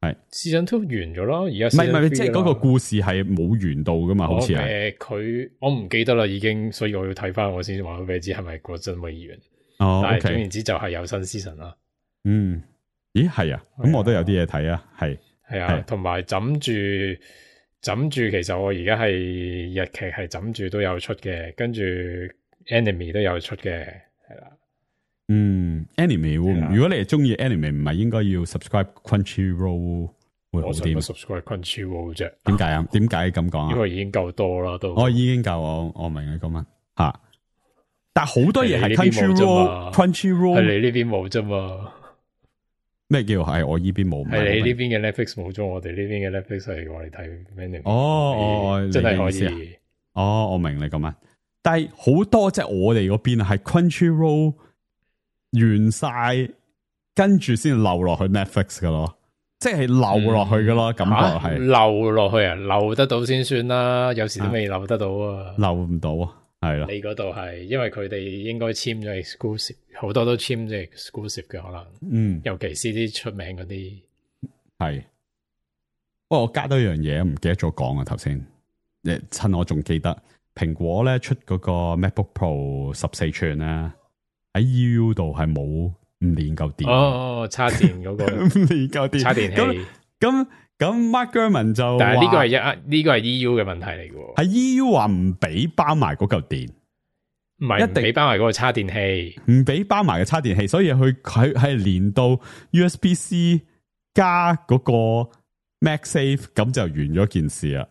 係 season 2完咗咯。而家唔係，即係嗰個故事係冇完到噶嘛？好似係我唔記得啦，已經，所以我要睇翻我先話俾你知係咪嗰陣未完。但係總言之就係有新 season 啦。咦，係啊，咁我都有啲嘢睇啊，係啊，同埋枕住，其實我而家係日劇係枕住都有出嘅，跟住 anime 都有出嘅，係啦。anime 如果你係中意 anime， 唔係應該要 subscribe Crunchyroll 會好啲。我 subscribe Crunchyroll 啫。點解啊？點解咁講啊？因為已經夠多啦，都。我已經夠，我明你講乜吓。但係好多嘢係 Crunchyroll 係你呢邊冇啫嘛。咩叫係我呢邊冇？係你呢邊嘅 Netflix 冇咗，我哋呢邊嘅 Netflix 係我哋睇 anime。哦，真係可以。哦，我明你咁啊。但係好多即係我哋嗰邊係 Crunchyroll 完晒，跟住先漏落去 Netflix 噶咯，即係漏落去噶咯，感覺係漏落去啊，漏得到先算啦，有時都未漏得到啊，漏唔到啊，係啦。你嗰度係因為佢哋應該簽咗 exclusive， 好多都簽咗 exclusive 嘅可能，尤其是啲出名嗰啲係。不過我加多一樣嘢，唔記得咗講啊，頭先，趁我仲記得，蘋果咧出嗰個 MacBook Pro 14寸咧。喺 EU 度係冇練夠電。哦，插電嗰個唔練夠電，插電器。咁 Mark Gurman 就但係呢個話係呢個係 EU 嘅問題嚟嘅喎，係 EU 話唔俾包埋嗰嚿電，唔係唔俾包埋嗰個插電器。唔俾包埋嘅插電器，所以佢係連到 USB-C 加嗰個 MagSafe，咁就完咗件事啦。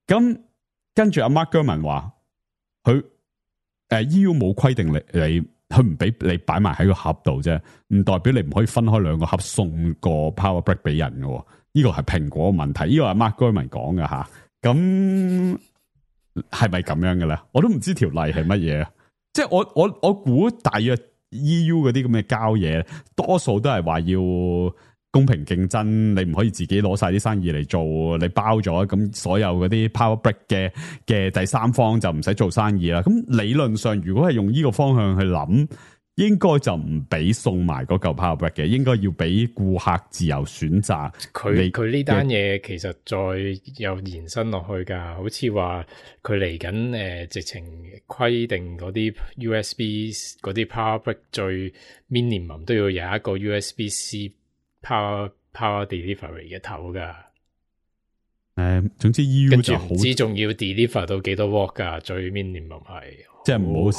咁跟住阿 Mark Gurman 話佢EU 冇規定你佢唔俾你擺埋喺個盒度啫，唔代表你唔可以分開兩個盒送個 Power Brick 俾人嘅。呢個係蘋果嘅問題，呢個係 Mark Gurman 講嘅吓。咁係咪咁樣嘅咧？我都唔知條例係乜嘢啊！即係我估大約 EU 嗰啲咁嘅交嘢，多數都係話要公平競爭，你唔可以自己攞晒啲生意嚟做，你包咗咁所有嗰啲 Power Brick 嘅第三方就唔使做生意啦。咁理論上，如果係用呢個方向去諗，應該就唔俾送埋嗰嚿 Power Brick 嘅，應該要俾顧客自由選擇。佢呢單嘢其實再有延伸落去㗎，好似話佢嚟緊直情規定嗰啲 USB 嗰啲 Power Brick 最 minimum 都要有一個 USB-C Power Delivery 嘅頭㗎。總之 EU 跟住就好，唔知仲要 deliver 到幾多 watt 㗎，最 minimum 係。即係唔好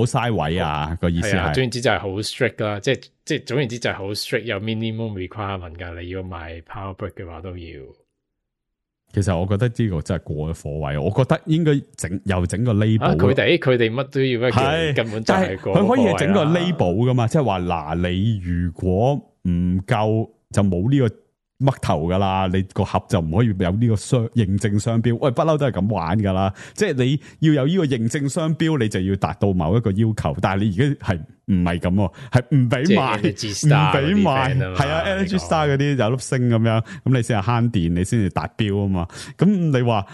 嘥位啊！個意思係，總言之就係好 strict 啦，即係總言之就係好 strict，有 minimum requirement 㗎。你要買 Power Brick 嘅話都要。其實我覺得呢個真係過咗火位，我覺得應該整個 label。佢哋乜都要一根本就係過火位啦。佢可以整個 label 噶嘛，即係話嗱，你如果唔夠就冇呢個嘜頭噶啦，你個盒就唔可以有呢個認證商標。喂，不嬲都係咁玩噶啦，即係你要有呢個認證商標，你就要達到某一個要求。但係你而家係唔係咁，係唔俾賣，唔俾賣，係啊 ，Energy Star 嗰啲有粒星咁樣，咁你先係慳電，你先至達標啊嘛。咁你話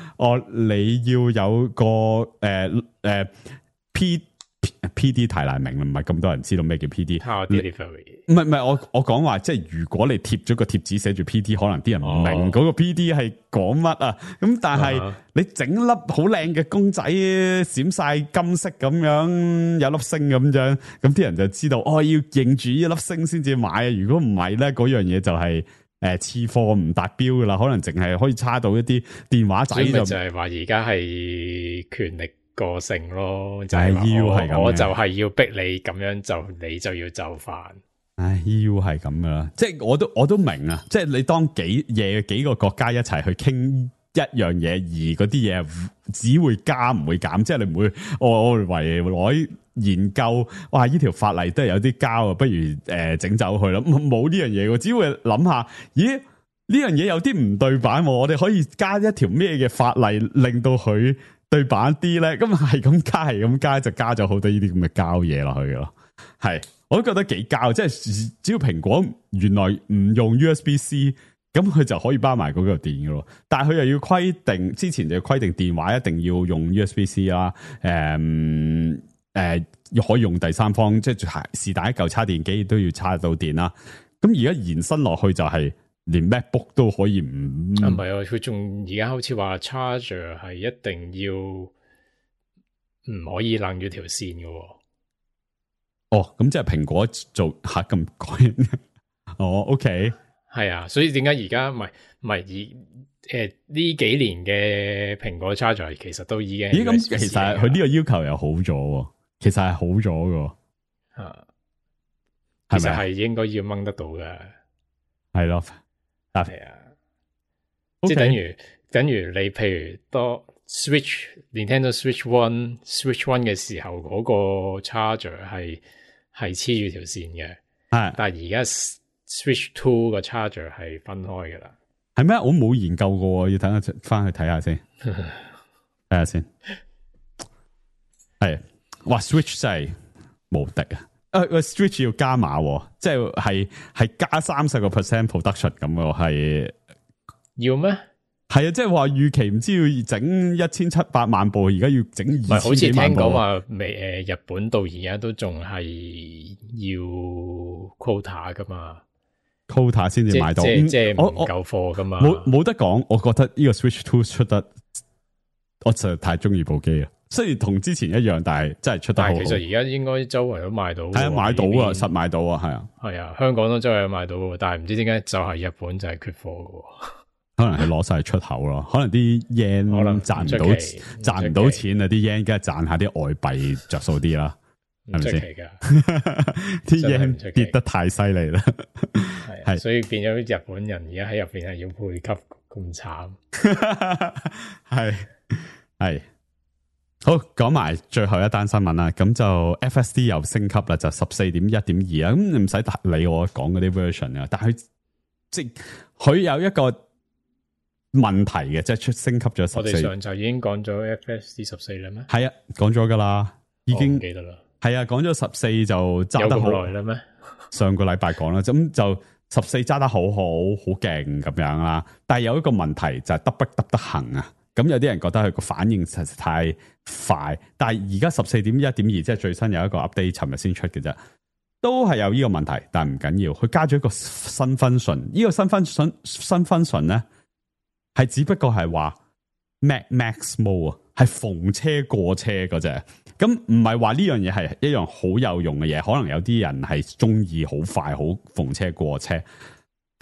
你要有個PD 太難明啦，唔係咁多人知道咩叫 PD。唔係，我講話，即係如果你貼咗個貼紙寫住 PD，可能啲人唔明嗰個 PD 係講乜啊。咁但係你整粒好靚嘅公仔，閃晒金色咁樣，有粒星咁樣，咁啲人就知道要認住呢粒星先至買啊。如果唔係咧，嗰樣嘢就係次貨唔達標噶啦，可能淨係可以差到一啲電話仔就係話而家係權力個性咯，就係要係咁，我就係要逼你咁樣就你就要就範。要係咁噶啦，即係我都明啊，即係你當幾個國家一齊去傾一樣嘢，而嗰啲嘢只會加唔會減，即係你唔會我為攞研究，哇！呢條法例都係有啲膠啊，不如整走佢啦，冇呢樣嘢，只會諗下，咦？呢樣嘢有啲唔對版，我哋可以加一條咩嘅法例令到佢對版啲咧？咁係咁加，就加咗好多呢啲咁嘅膠嘢落去咯。係，我都覺得幾膠，即係只要蘋果原來唔用 USB-C， 咁佢就可以包埋嗰個電噶咯。但係佢又要規定，之前就要規定電話一定要用 USB-C 啦，可以用第三方，即係是但一嚿插電機都要插到電啦。咁而家延伸落去就係連 MacBook 都可以唔係啊，佢仲而家好似話 charger 係一定要唔可以楞住條線嘅。咁即係蘋果做吓咁改。OK， 係啊，所以點解而家唔係呢幾年嘅蘋果 charger 其實都已經咁其實佢呢個要求又好咗，其實係好咗嘅，其實係應該要掹得到嘅，係咯，係啊，即係等於你譬如多 Nintendo Switch One 嘅時候嗰個 charger 係黐住條線嘅，但係而家 Switch 2個 charger 係分開噶啦，係咩？我冇研究過，要等下翻去睇下先，睇下先。係，哇 Switch 真係無敵啊！Switch 要加碼，即係加30% production 咁喎，係要咩？係啊，即係話預期唔知要整1700萬部，而家要整2000幾萬部。唔係，好似聽講話日本到而家都仲係要 quota 噶嘛 ，quota 先至買到，即係唔夠貨噶嘛。冇得講，我覺得呢個 Switch 2出得，我實在太中意部機啊！雖然同之前一樣，但係真係出得好好。但係其實而家應該周圍都買到，係啊，買到啊，實買到啊，係啊，係啊，香港都周圍都買到嘅，但係唔知點解就係日本就係缺貨嘅。可能係攞晒出口咯，可能啲 yen 可能賺唔到賺唔到錢啊，啲 yen 梗係賺下啲外幣着數啲啦，係咪先？啲 yen 跌得太犀利啦，係，所以變咗日本人而家喺入邊係要配給咁慘，係好講埋最後一單新聞啦，咁就 FSD 又升級啦，就 14.1.2 啦，咁你唔使理我講嗰啲 version 啊，但係即佢有一個問題嘅，即係出升級咗14。我哋上集已經講咗 FSD 14啦咩？係啊，講咗噶啦，已經唔記得啦。係啊，講咗14就揸得好耐啦咩？上個禮拜講啦，咁就14揸得好勁咁樣啦。但係有一個問題就係得不行啊。咁有啲人覺得佢個反應實在太快，但係而家 14.1.2 即係最新有一個 update， 尋日先出嘅啫，都係有呢個問題，但係唔緊要，佢加咗一個新 function，呢個新 function 咧係只不過係話 max mode 啊，係逢車過車嗰隻，咁唔係話呢樣嘢係一樣好有用嘅嘢，可能有啲人係中意好快好逢車過車。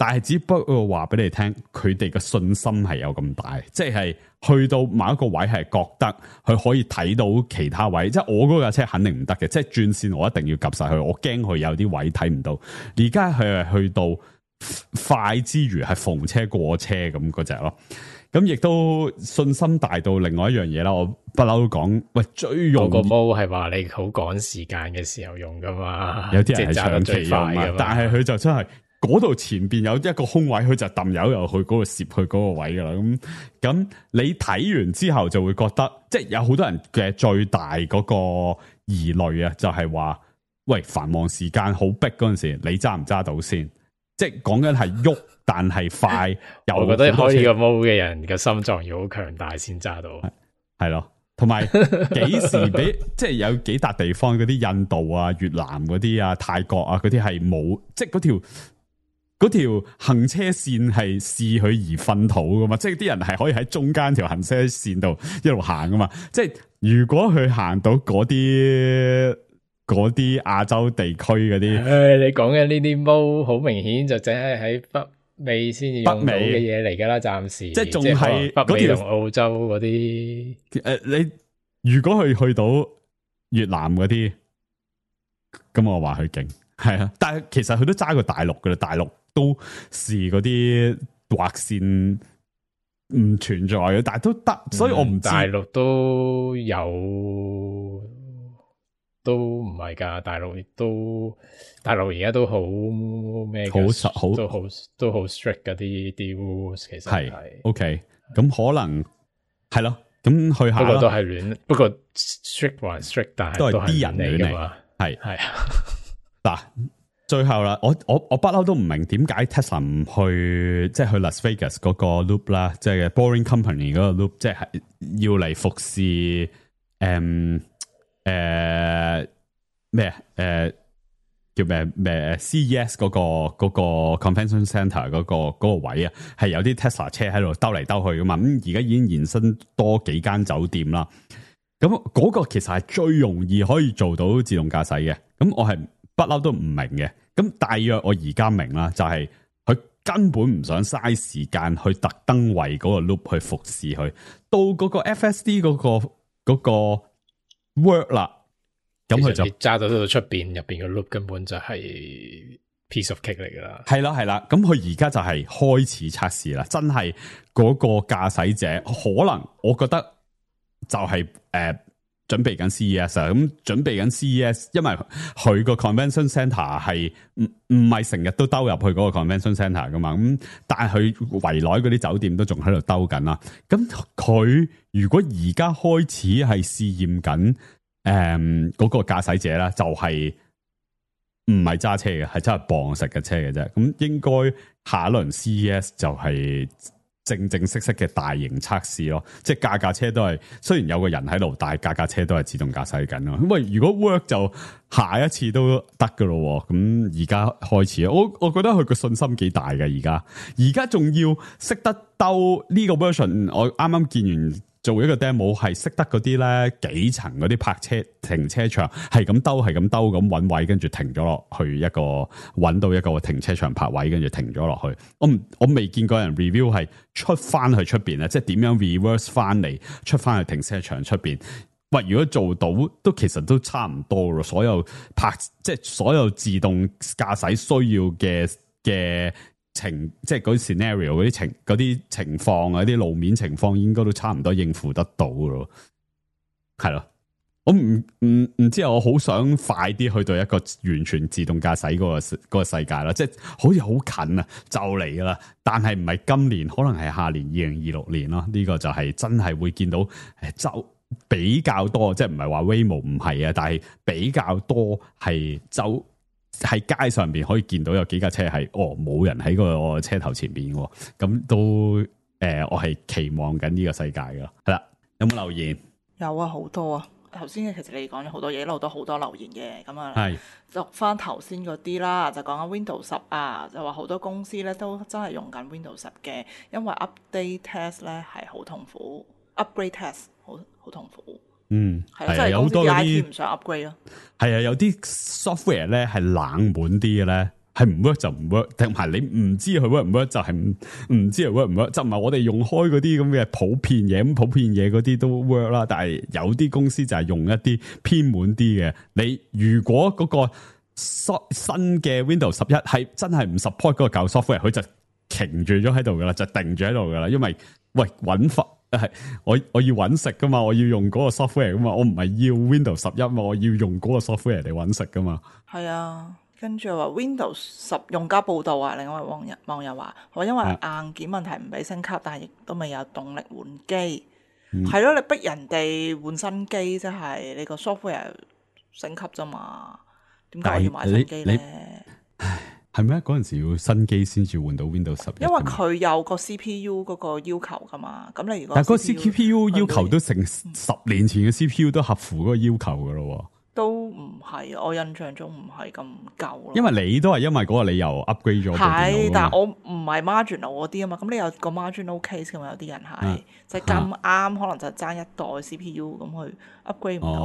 但係只不過話俾你聽，佢哋嘅信心係有咁大，即係去到某一個位係覺得佢可以睇到其他位，即係我嗰架車肯定唔得嘅，即係轉線我一定要及晒佢，我驚佢有啲位睇唔到。而家佢係去到快之餘係逢車過車咁嗰隻咯，咁亦都信心大到另外一樣嘢啦。我不嬲都講，喂，最用個毛係話你好趕時間嘅時候用噶嘛，有啲人係長期用嘛，但係佢就真係。嗰度前邊有一個空位，佢就抌油又去嗰度攝去嗰個位噶啦。咁你睇完之後就會覺得，即係有好多人嘅最大嗰個疑慮啊，就係話，喂，繁忙時間好逼嗰陣時，你揸唔揸到先？即係講緊係喐，但係快。我覺得開呢個毛嘅人嘅心臟要好強大先揸到。係咯，同埋幾時俾即係有幾笪地方嗰啲印度啊、越南嗰啲啊、泰國啊嗰啲係冇，即係嗰條行車線係視佢而糞土噶嘛，即係啲人係可以喺中間條行車線度一路行噶嘛。即係如果佢行到嗰啲亞洲地區嗰啲，你講嘅呢啲毛好明顯就淨係喺北美先至用到嘅嘢嚟噶啦，暫時即係仲係北美同澳洲嗰啲。你如果佢去到越南嗰啲，咁我話佢勁係啊，但係其實佢都揸過大陸噶啦，大陸。都是嗰啲劃線唔存在嘅，但係都得，所以我唔知大陸都有，都唔係噶，大陸而家都好咩？好都好 strict 嗰啲 rules， 其實係 OK， 咁可能係咯，咁去下不過都係亂，不過 strict 還 strict， 但係都係啲人嚟噶嘛，係啊嗱。最後啦，我不嬲都唔明點解 Tesla 唔去即係去 Las Vegas 嗰個 loop 啦，即係 Boring Company 嗰個 loop， 即係要嚟服侍叫咩CES 嗰個 Convention Center 嗰個位啊，係有啲 Tesla 車喺度兜嚟兜去噶嘛，咁而家已經延伸多幾間酒店啦，咁嗰個其實係最容易可以做到自動駕駛嘅，咁我係不嬲都唔明嘅。咁大約我而家明啦，就係佢根本唔想嘥時間去特登為嗰個 loop 去服侍佢，到嗰個 FSD 嗰個 work 啦，咁佢就揸到出邊入邊嘅 loop 根本就係 piece of cake 嚟噶啦。係啦，咁佢而家就係開始測試啦，真係嗰個駕駛者可能我覺得就係準備緊 CES 啊，咁準備緊 CES， 因為佢個 convention centre 係唔係成日都兜入去嗰個 convention centre 噶嘛，咁但係佢圍內嗰啲酒店都仲喺度兜緊啦。咁佢如果而家開始係試驗緊嗰個駕駛者啦，就係唔係揸車嘅，係真係磅實嘅車嘅啫。咁應該下一輪 CES 就係正式嘅大型測試咯，即係架車都係雖然有個人喺度，但係架車都係自動駕駛緊咯。咁喂，如果 work 就下一次都得噶咯。咁而家開始，我覺得佢個信心幾大嘅。而家仲要識得兜呢個 version，我啱啱見完做一個 demo 係識得嗰啲咧幾層嗰啲泊車停車場係咁兜咁揾位，跟住停咗落去一個揾到一個停車場泊位，跟住停咗落去。我未見過人 review 係出翻去出邊咧，即係點樣 reverse 翻嚟出翻去停車場出邊。喂，如果做到都其實都差唔多咯，所有即係所有自動駕駛需要嘅即係嗰啲 scenario 嗰啲情況啊，啲路面情況應該都差唔多應付得到咯，係咯。我唔知啊，我好想快啲去到一個完全自動駕駛嗰個世界啦，即係好似好近啊，就嚟噶啦。但係唔係今年，可能係下年2026年咯。呢個就係真係會見到比較多，即係唔係話 Waymo 唔係啊，但係比較多係喺街上邊可以見到有幾架車係冇人喺個車頭前邊喎，咁都我係期望緊呢個世界噶。係啦，有冇留言？有啊，好多啊。頭先其實你講咗好多嘢，一路都好多留言嘅，咁啊，係讀翻頭先嗰啲啦，就講緊 Windows 10啊，就話好多公司咧都真係用緊 Windows 10嘅，因為 update test 咧係好痛苦 ，upgrade test 好痛苦。係啊，即係有好多嗰啲唔想 upgrade 咯。係啊，有啲 software 咧係冷門啲嘅咧，係唔 work 就唔 work，定係你唔知佢 work 唔 work 就係唔知佢 work 唔 work，就唔係我哋用開嗰啲咁嘅普遍嘢，咁普遍嘢嗰啲都 work 啦。但係有啲公司就係用一啲偏門啲嘅。你如果嗰個新嘅 Windows 11係真係唔 support 嗰個舊 software，佢就停住咗喺度噶啦，就定住喺度噶啦。因為揾法。係我要揾食噶嘛，我要用嗰個 software 噶嘛，我唔係要 Windows 11嘛，我要用嗰個 software 嚟揾食噶嘛。係啊，跟住話 Windows 10用家報道啊，另外網友話因為硬件問題唔俾升級，但係亦都未有動力換機。係咯，你逼人哋換新機，即係你個 software 升級啫嘛，點解我要買新機咧？係咩？嗰陣時要新機先至換到 Windows 11，因為佢有個 CPU 嗰個要求噶嘛。咁你如果但係個 CPU 要求都成10年前嘅 CPU 都合乎嗰個要求噶咯。都唔係，我印象中唔係咁夠咯。因為你都係因為嗰個理由 upgrade 咗部電腦。係，但係我唔係 marginal 嗰啲啊嘛。咁你有個 marginal case 噶嘛？有啲人係就係咁啱，可能就爭一代 CPU 咁去 upgrade 唔到。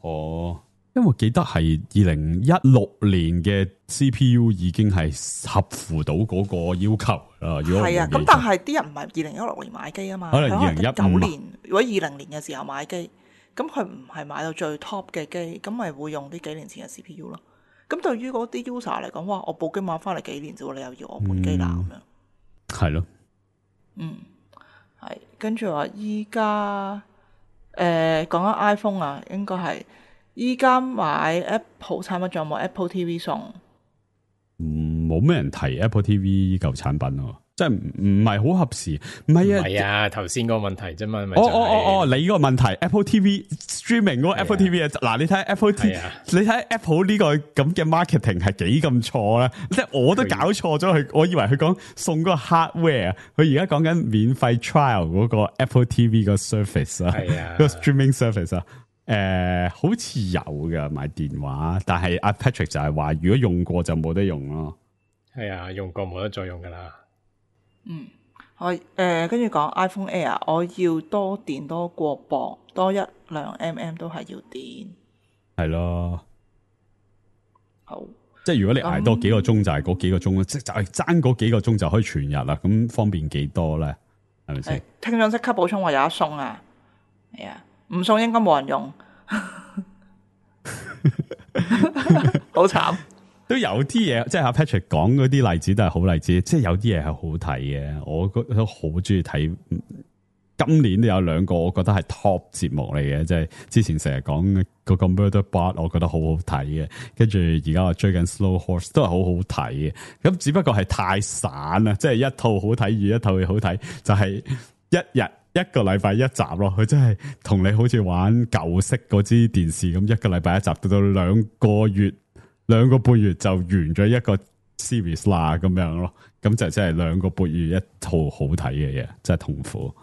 哦。因為我記得係2016年嘅 CPU 已經係合乎到嗰個要求啦。係啊，咁但係啲人唔係2016年買機啊嘛，可能2019年如果20年嘅時候買機，咁佢唔係買到最 top 嘅機，咁咪會用啲幾年前嘅 CPU 咯。咁對於嗰啲 user 嚟講，哇！我部機買翻嚟幾年啫，你又要我換機啦咁樣。係咯。係跟住話依家講緊 iPhone 啊，應該係。依家買 Apple 產品仲有冇 Apple TV 送？冇咩人提 Apple TV 呢嚿產品咯，即係唔係好合時。唔係啊，頭先個問題啫嘛。你個問題 Apple TV streaming 嗰個 Apple TV 啊，嗱，你睇 Apple TV，你睇 Apple 呢個咁嘅 marketing 係幾咁錯咧？即係我都搞錯咗佢，我以為佢講送嗰個 hardware，佢而家講緊免費 trial 嗰個 Apple TV 個 service 啊，嗰個 streaming service 啊。好似有噶買電話，但係阿 Patrick 就係話，如果用過就冇得用咯。係啊，用過冇得再用噶啦。跟住講 iPhone Air，我要多電多過磅，多1-2 mm 都係要電。係咯，好，即係如果你挨多幾個鐘就係嗰幾個鐘，即係就係爭嗰幾個鐘就可以全日啦。咁方便幾多咧？係咪先？聽眾即刻補充話有得送啊！係啊。唔送應該冇人用，好慘。都有啲嘢，即係阿 Patrick 講嗰啲例子都係好例子，即係有啲嘢係好睇嘅。我覺得好中意睇。今年都有2個，我覺得係 top 節目嚟嘅，即係之前成日講嗰個 Murderbot，我覺得好好睇嘅。跟住而家我追緊 Slow Horse 都係好好睇嘅。咁只不過係太散啦，即係一套好睇與一套好睇，就係一個禮拜一集咯。佢真係同你好似玩舊式嗰支電視咁，一個禮拜一集，到2個半月就完咗一個 series 啦咁樣咯。咁就真係2個半月一套好睇嘅嘢，真係痛苦。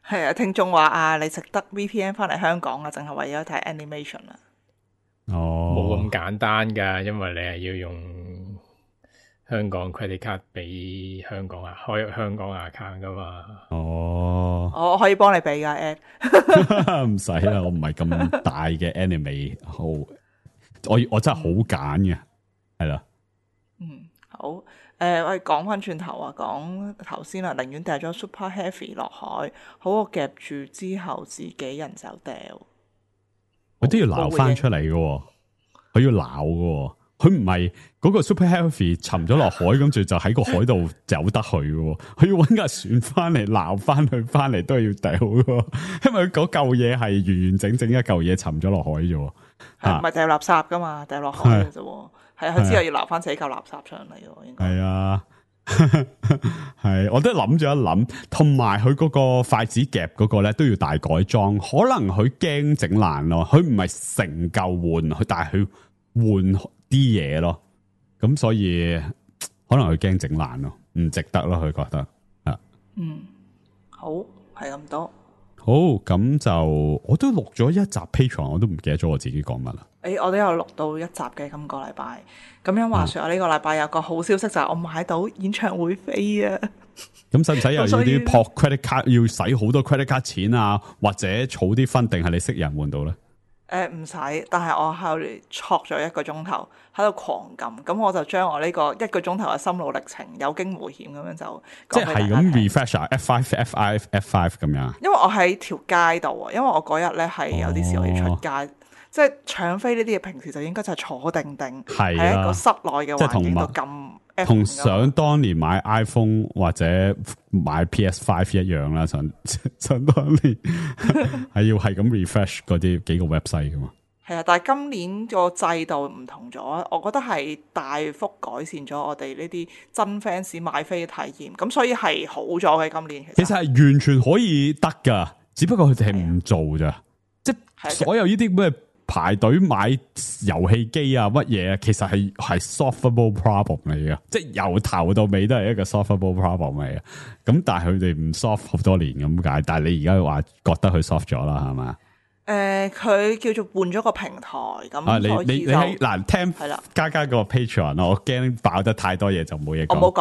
係啊，聽眾話啊，你值得 VPN 翻嚟香港啊，淨係為咗睇 animation 啊。冇咁簡單噶，因為你係要用香港 credit card 俾香港開香港 account 噶嘛。哦，我可以幫你俾噶 Ed。唔使啦，我唔係咁大嘅 anime 好，我真係好揀嘅，係啦。好，我哋講翻轉頭啊，講頭先啦，寧願掉咗 Super Heavy 落海，好過夾住之後自己人手掉。佢都要撈翻出嚟嘅，佢要撈嘅，佢唔係嗰個 Super Heavy 沉咗落海，跟住就喺個海度走得去嘅，佢要搵架船翻嚟撈翻佢翻嚟都係要掉嘅，因為嗰嚿嘢係完完整整一嚿嘢沉咗落海啫，係唔係掉垃圾噶嘛？掉落海嘅啫，係佢之後要撈翻自己嚿垃圾上嚟嘅，應該係啊。係，我都諗咗一諗，同埋佢嗰個筷子夾嗰個咧都要大改裝，可能佢驚整爛咯，佢唔係成嚿換，佢但係佢換啲嘢咯，咁所以可能佢驚整爛咯，唔值得咯，佢覺得啊，好係咁多。好，咁就我都錄咗一集 Patreon， 我都唔記得咗我自己講乜啦。我都有錄到一集嘅今個禮拜。咁樣話說，我呢個禮拜有個好消息就係我買到演唱會飛啊！咁使唔使又要啲撲 credit card，要使好多 credit card 錢啊？或者儲啲分，定係你識人換到咧？唔使，但係我喺度戳咗1個鐘頭，喺度狂撳，咁我就將我呢個1個鐘頭嘅心路歷程有驚無險咁樣就即係咁 refresh 啊 F5 咁樣。因為我喺條街度啊，因為我嗰日咧係有啲事我要出街，即係搶飛呢啲嘢，平時就應該就係坐定定喺一個室內嘅環境度撳。同想當年買 iPhone 或者買 PS5 一樣啦，想當年係要係咁 refresh 嗰啲幾個 website 噶嘛。係啊，但係今年個制度唔同咗，我覺得係大幅改善咗我哋呢啲真 fans 買飛嘅體驗，咁所以係好咗嘅今年。其實係完全可以得噶，只不過佢哋係唔做咋，即係所有呢啲咩排隊買遊戲機啊乜嘢，其實係 solvable problem 嚟嘅，即係由頭到尾都係一個 solvable problem 嚟嘅。咁但係佢哋唔 solve 好多年咁解，但係你而家話覺得佢 solve 咗啦，係嘛？佢叫做換咗個平台咁，你喺嗱聽係啦，加個 Patreon 咯，我驚爆得太多嘢就冇嘢講。我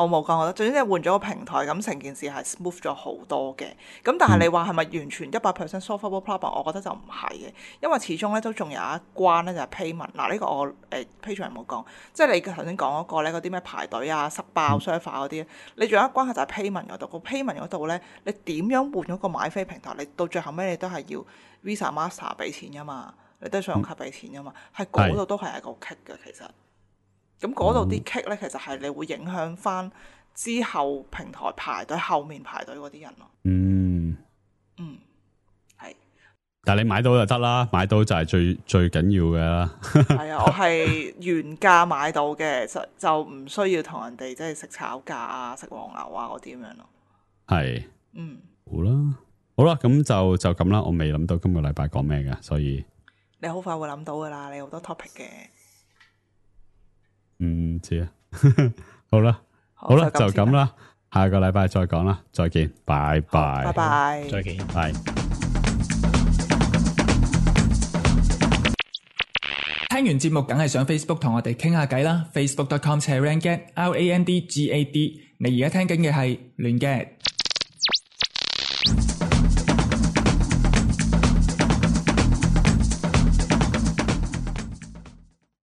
冇講，總之你換咗個平台，咁成件事係 smooth 咗好多嘅。咁但係你話係咪完全100% solvable problem？我覺得就唔係嘅，因為始終咧都仲有一關咧就係 payment。嗱呢個我Patreon 冇講，即係你頭先講嗰個咧嗰啲咩排隊啊、塞爆 server 嗰啲，你仲有一關係就係 payment 嗰度。個 payment 嗰度咧，你點樣換咗個買飛平台？你到最後尾你都係要 Visa Master 俾錢噶嘛，你都係信用卡俾錢噶嘛，係嗰度都係一個 kick 嘅其實。咁嗰度啲 kick 咧，其實係你會影響翻之後平台排隊後面排隊嗰啲人咯。係。但係你買到就得啦，買到就係最緊要嘅啦。係啊，我係原價買到嘅，就唔需要同人哋即係食炒價啊、食黃牛啊嗰啲咁樣咯。係。好啦，咁就咁啦。我未諗到今個禮拜講咩嘅，所以你好快會諗到噶啦，你好多 topic 嘅。唔知啊。好啦，就咁啦。下個禮拜再講啦，再見，拜拜，拜拜，再見，拜。聽完節目梗係上 Facebook 同我哋傾下偈啦 ，facebook.com/randgad RANDGAD。你而家聽緊嘅係亂 gad。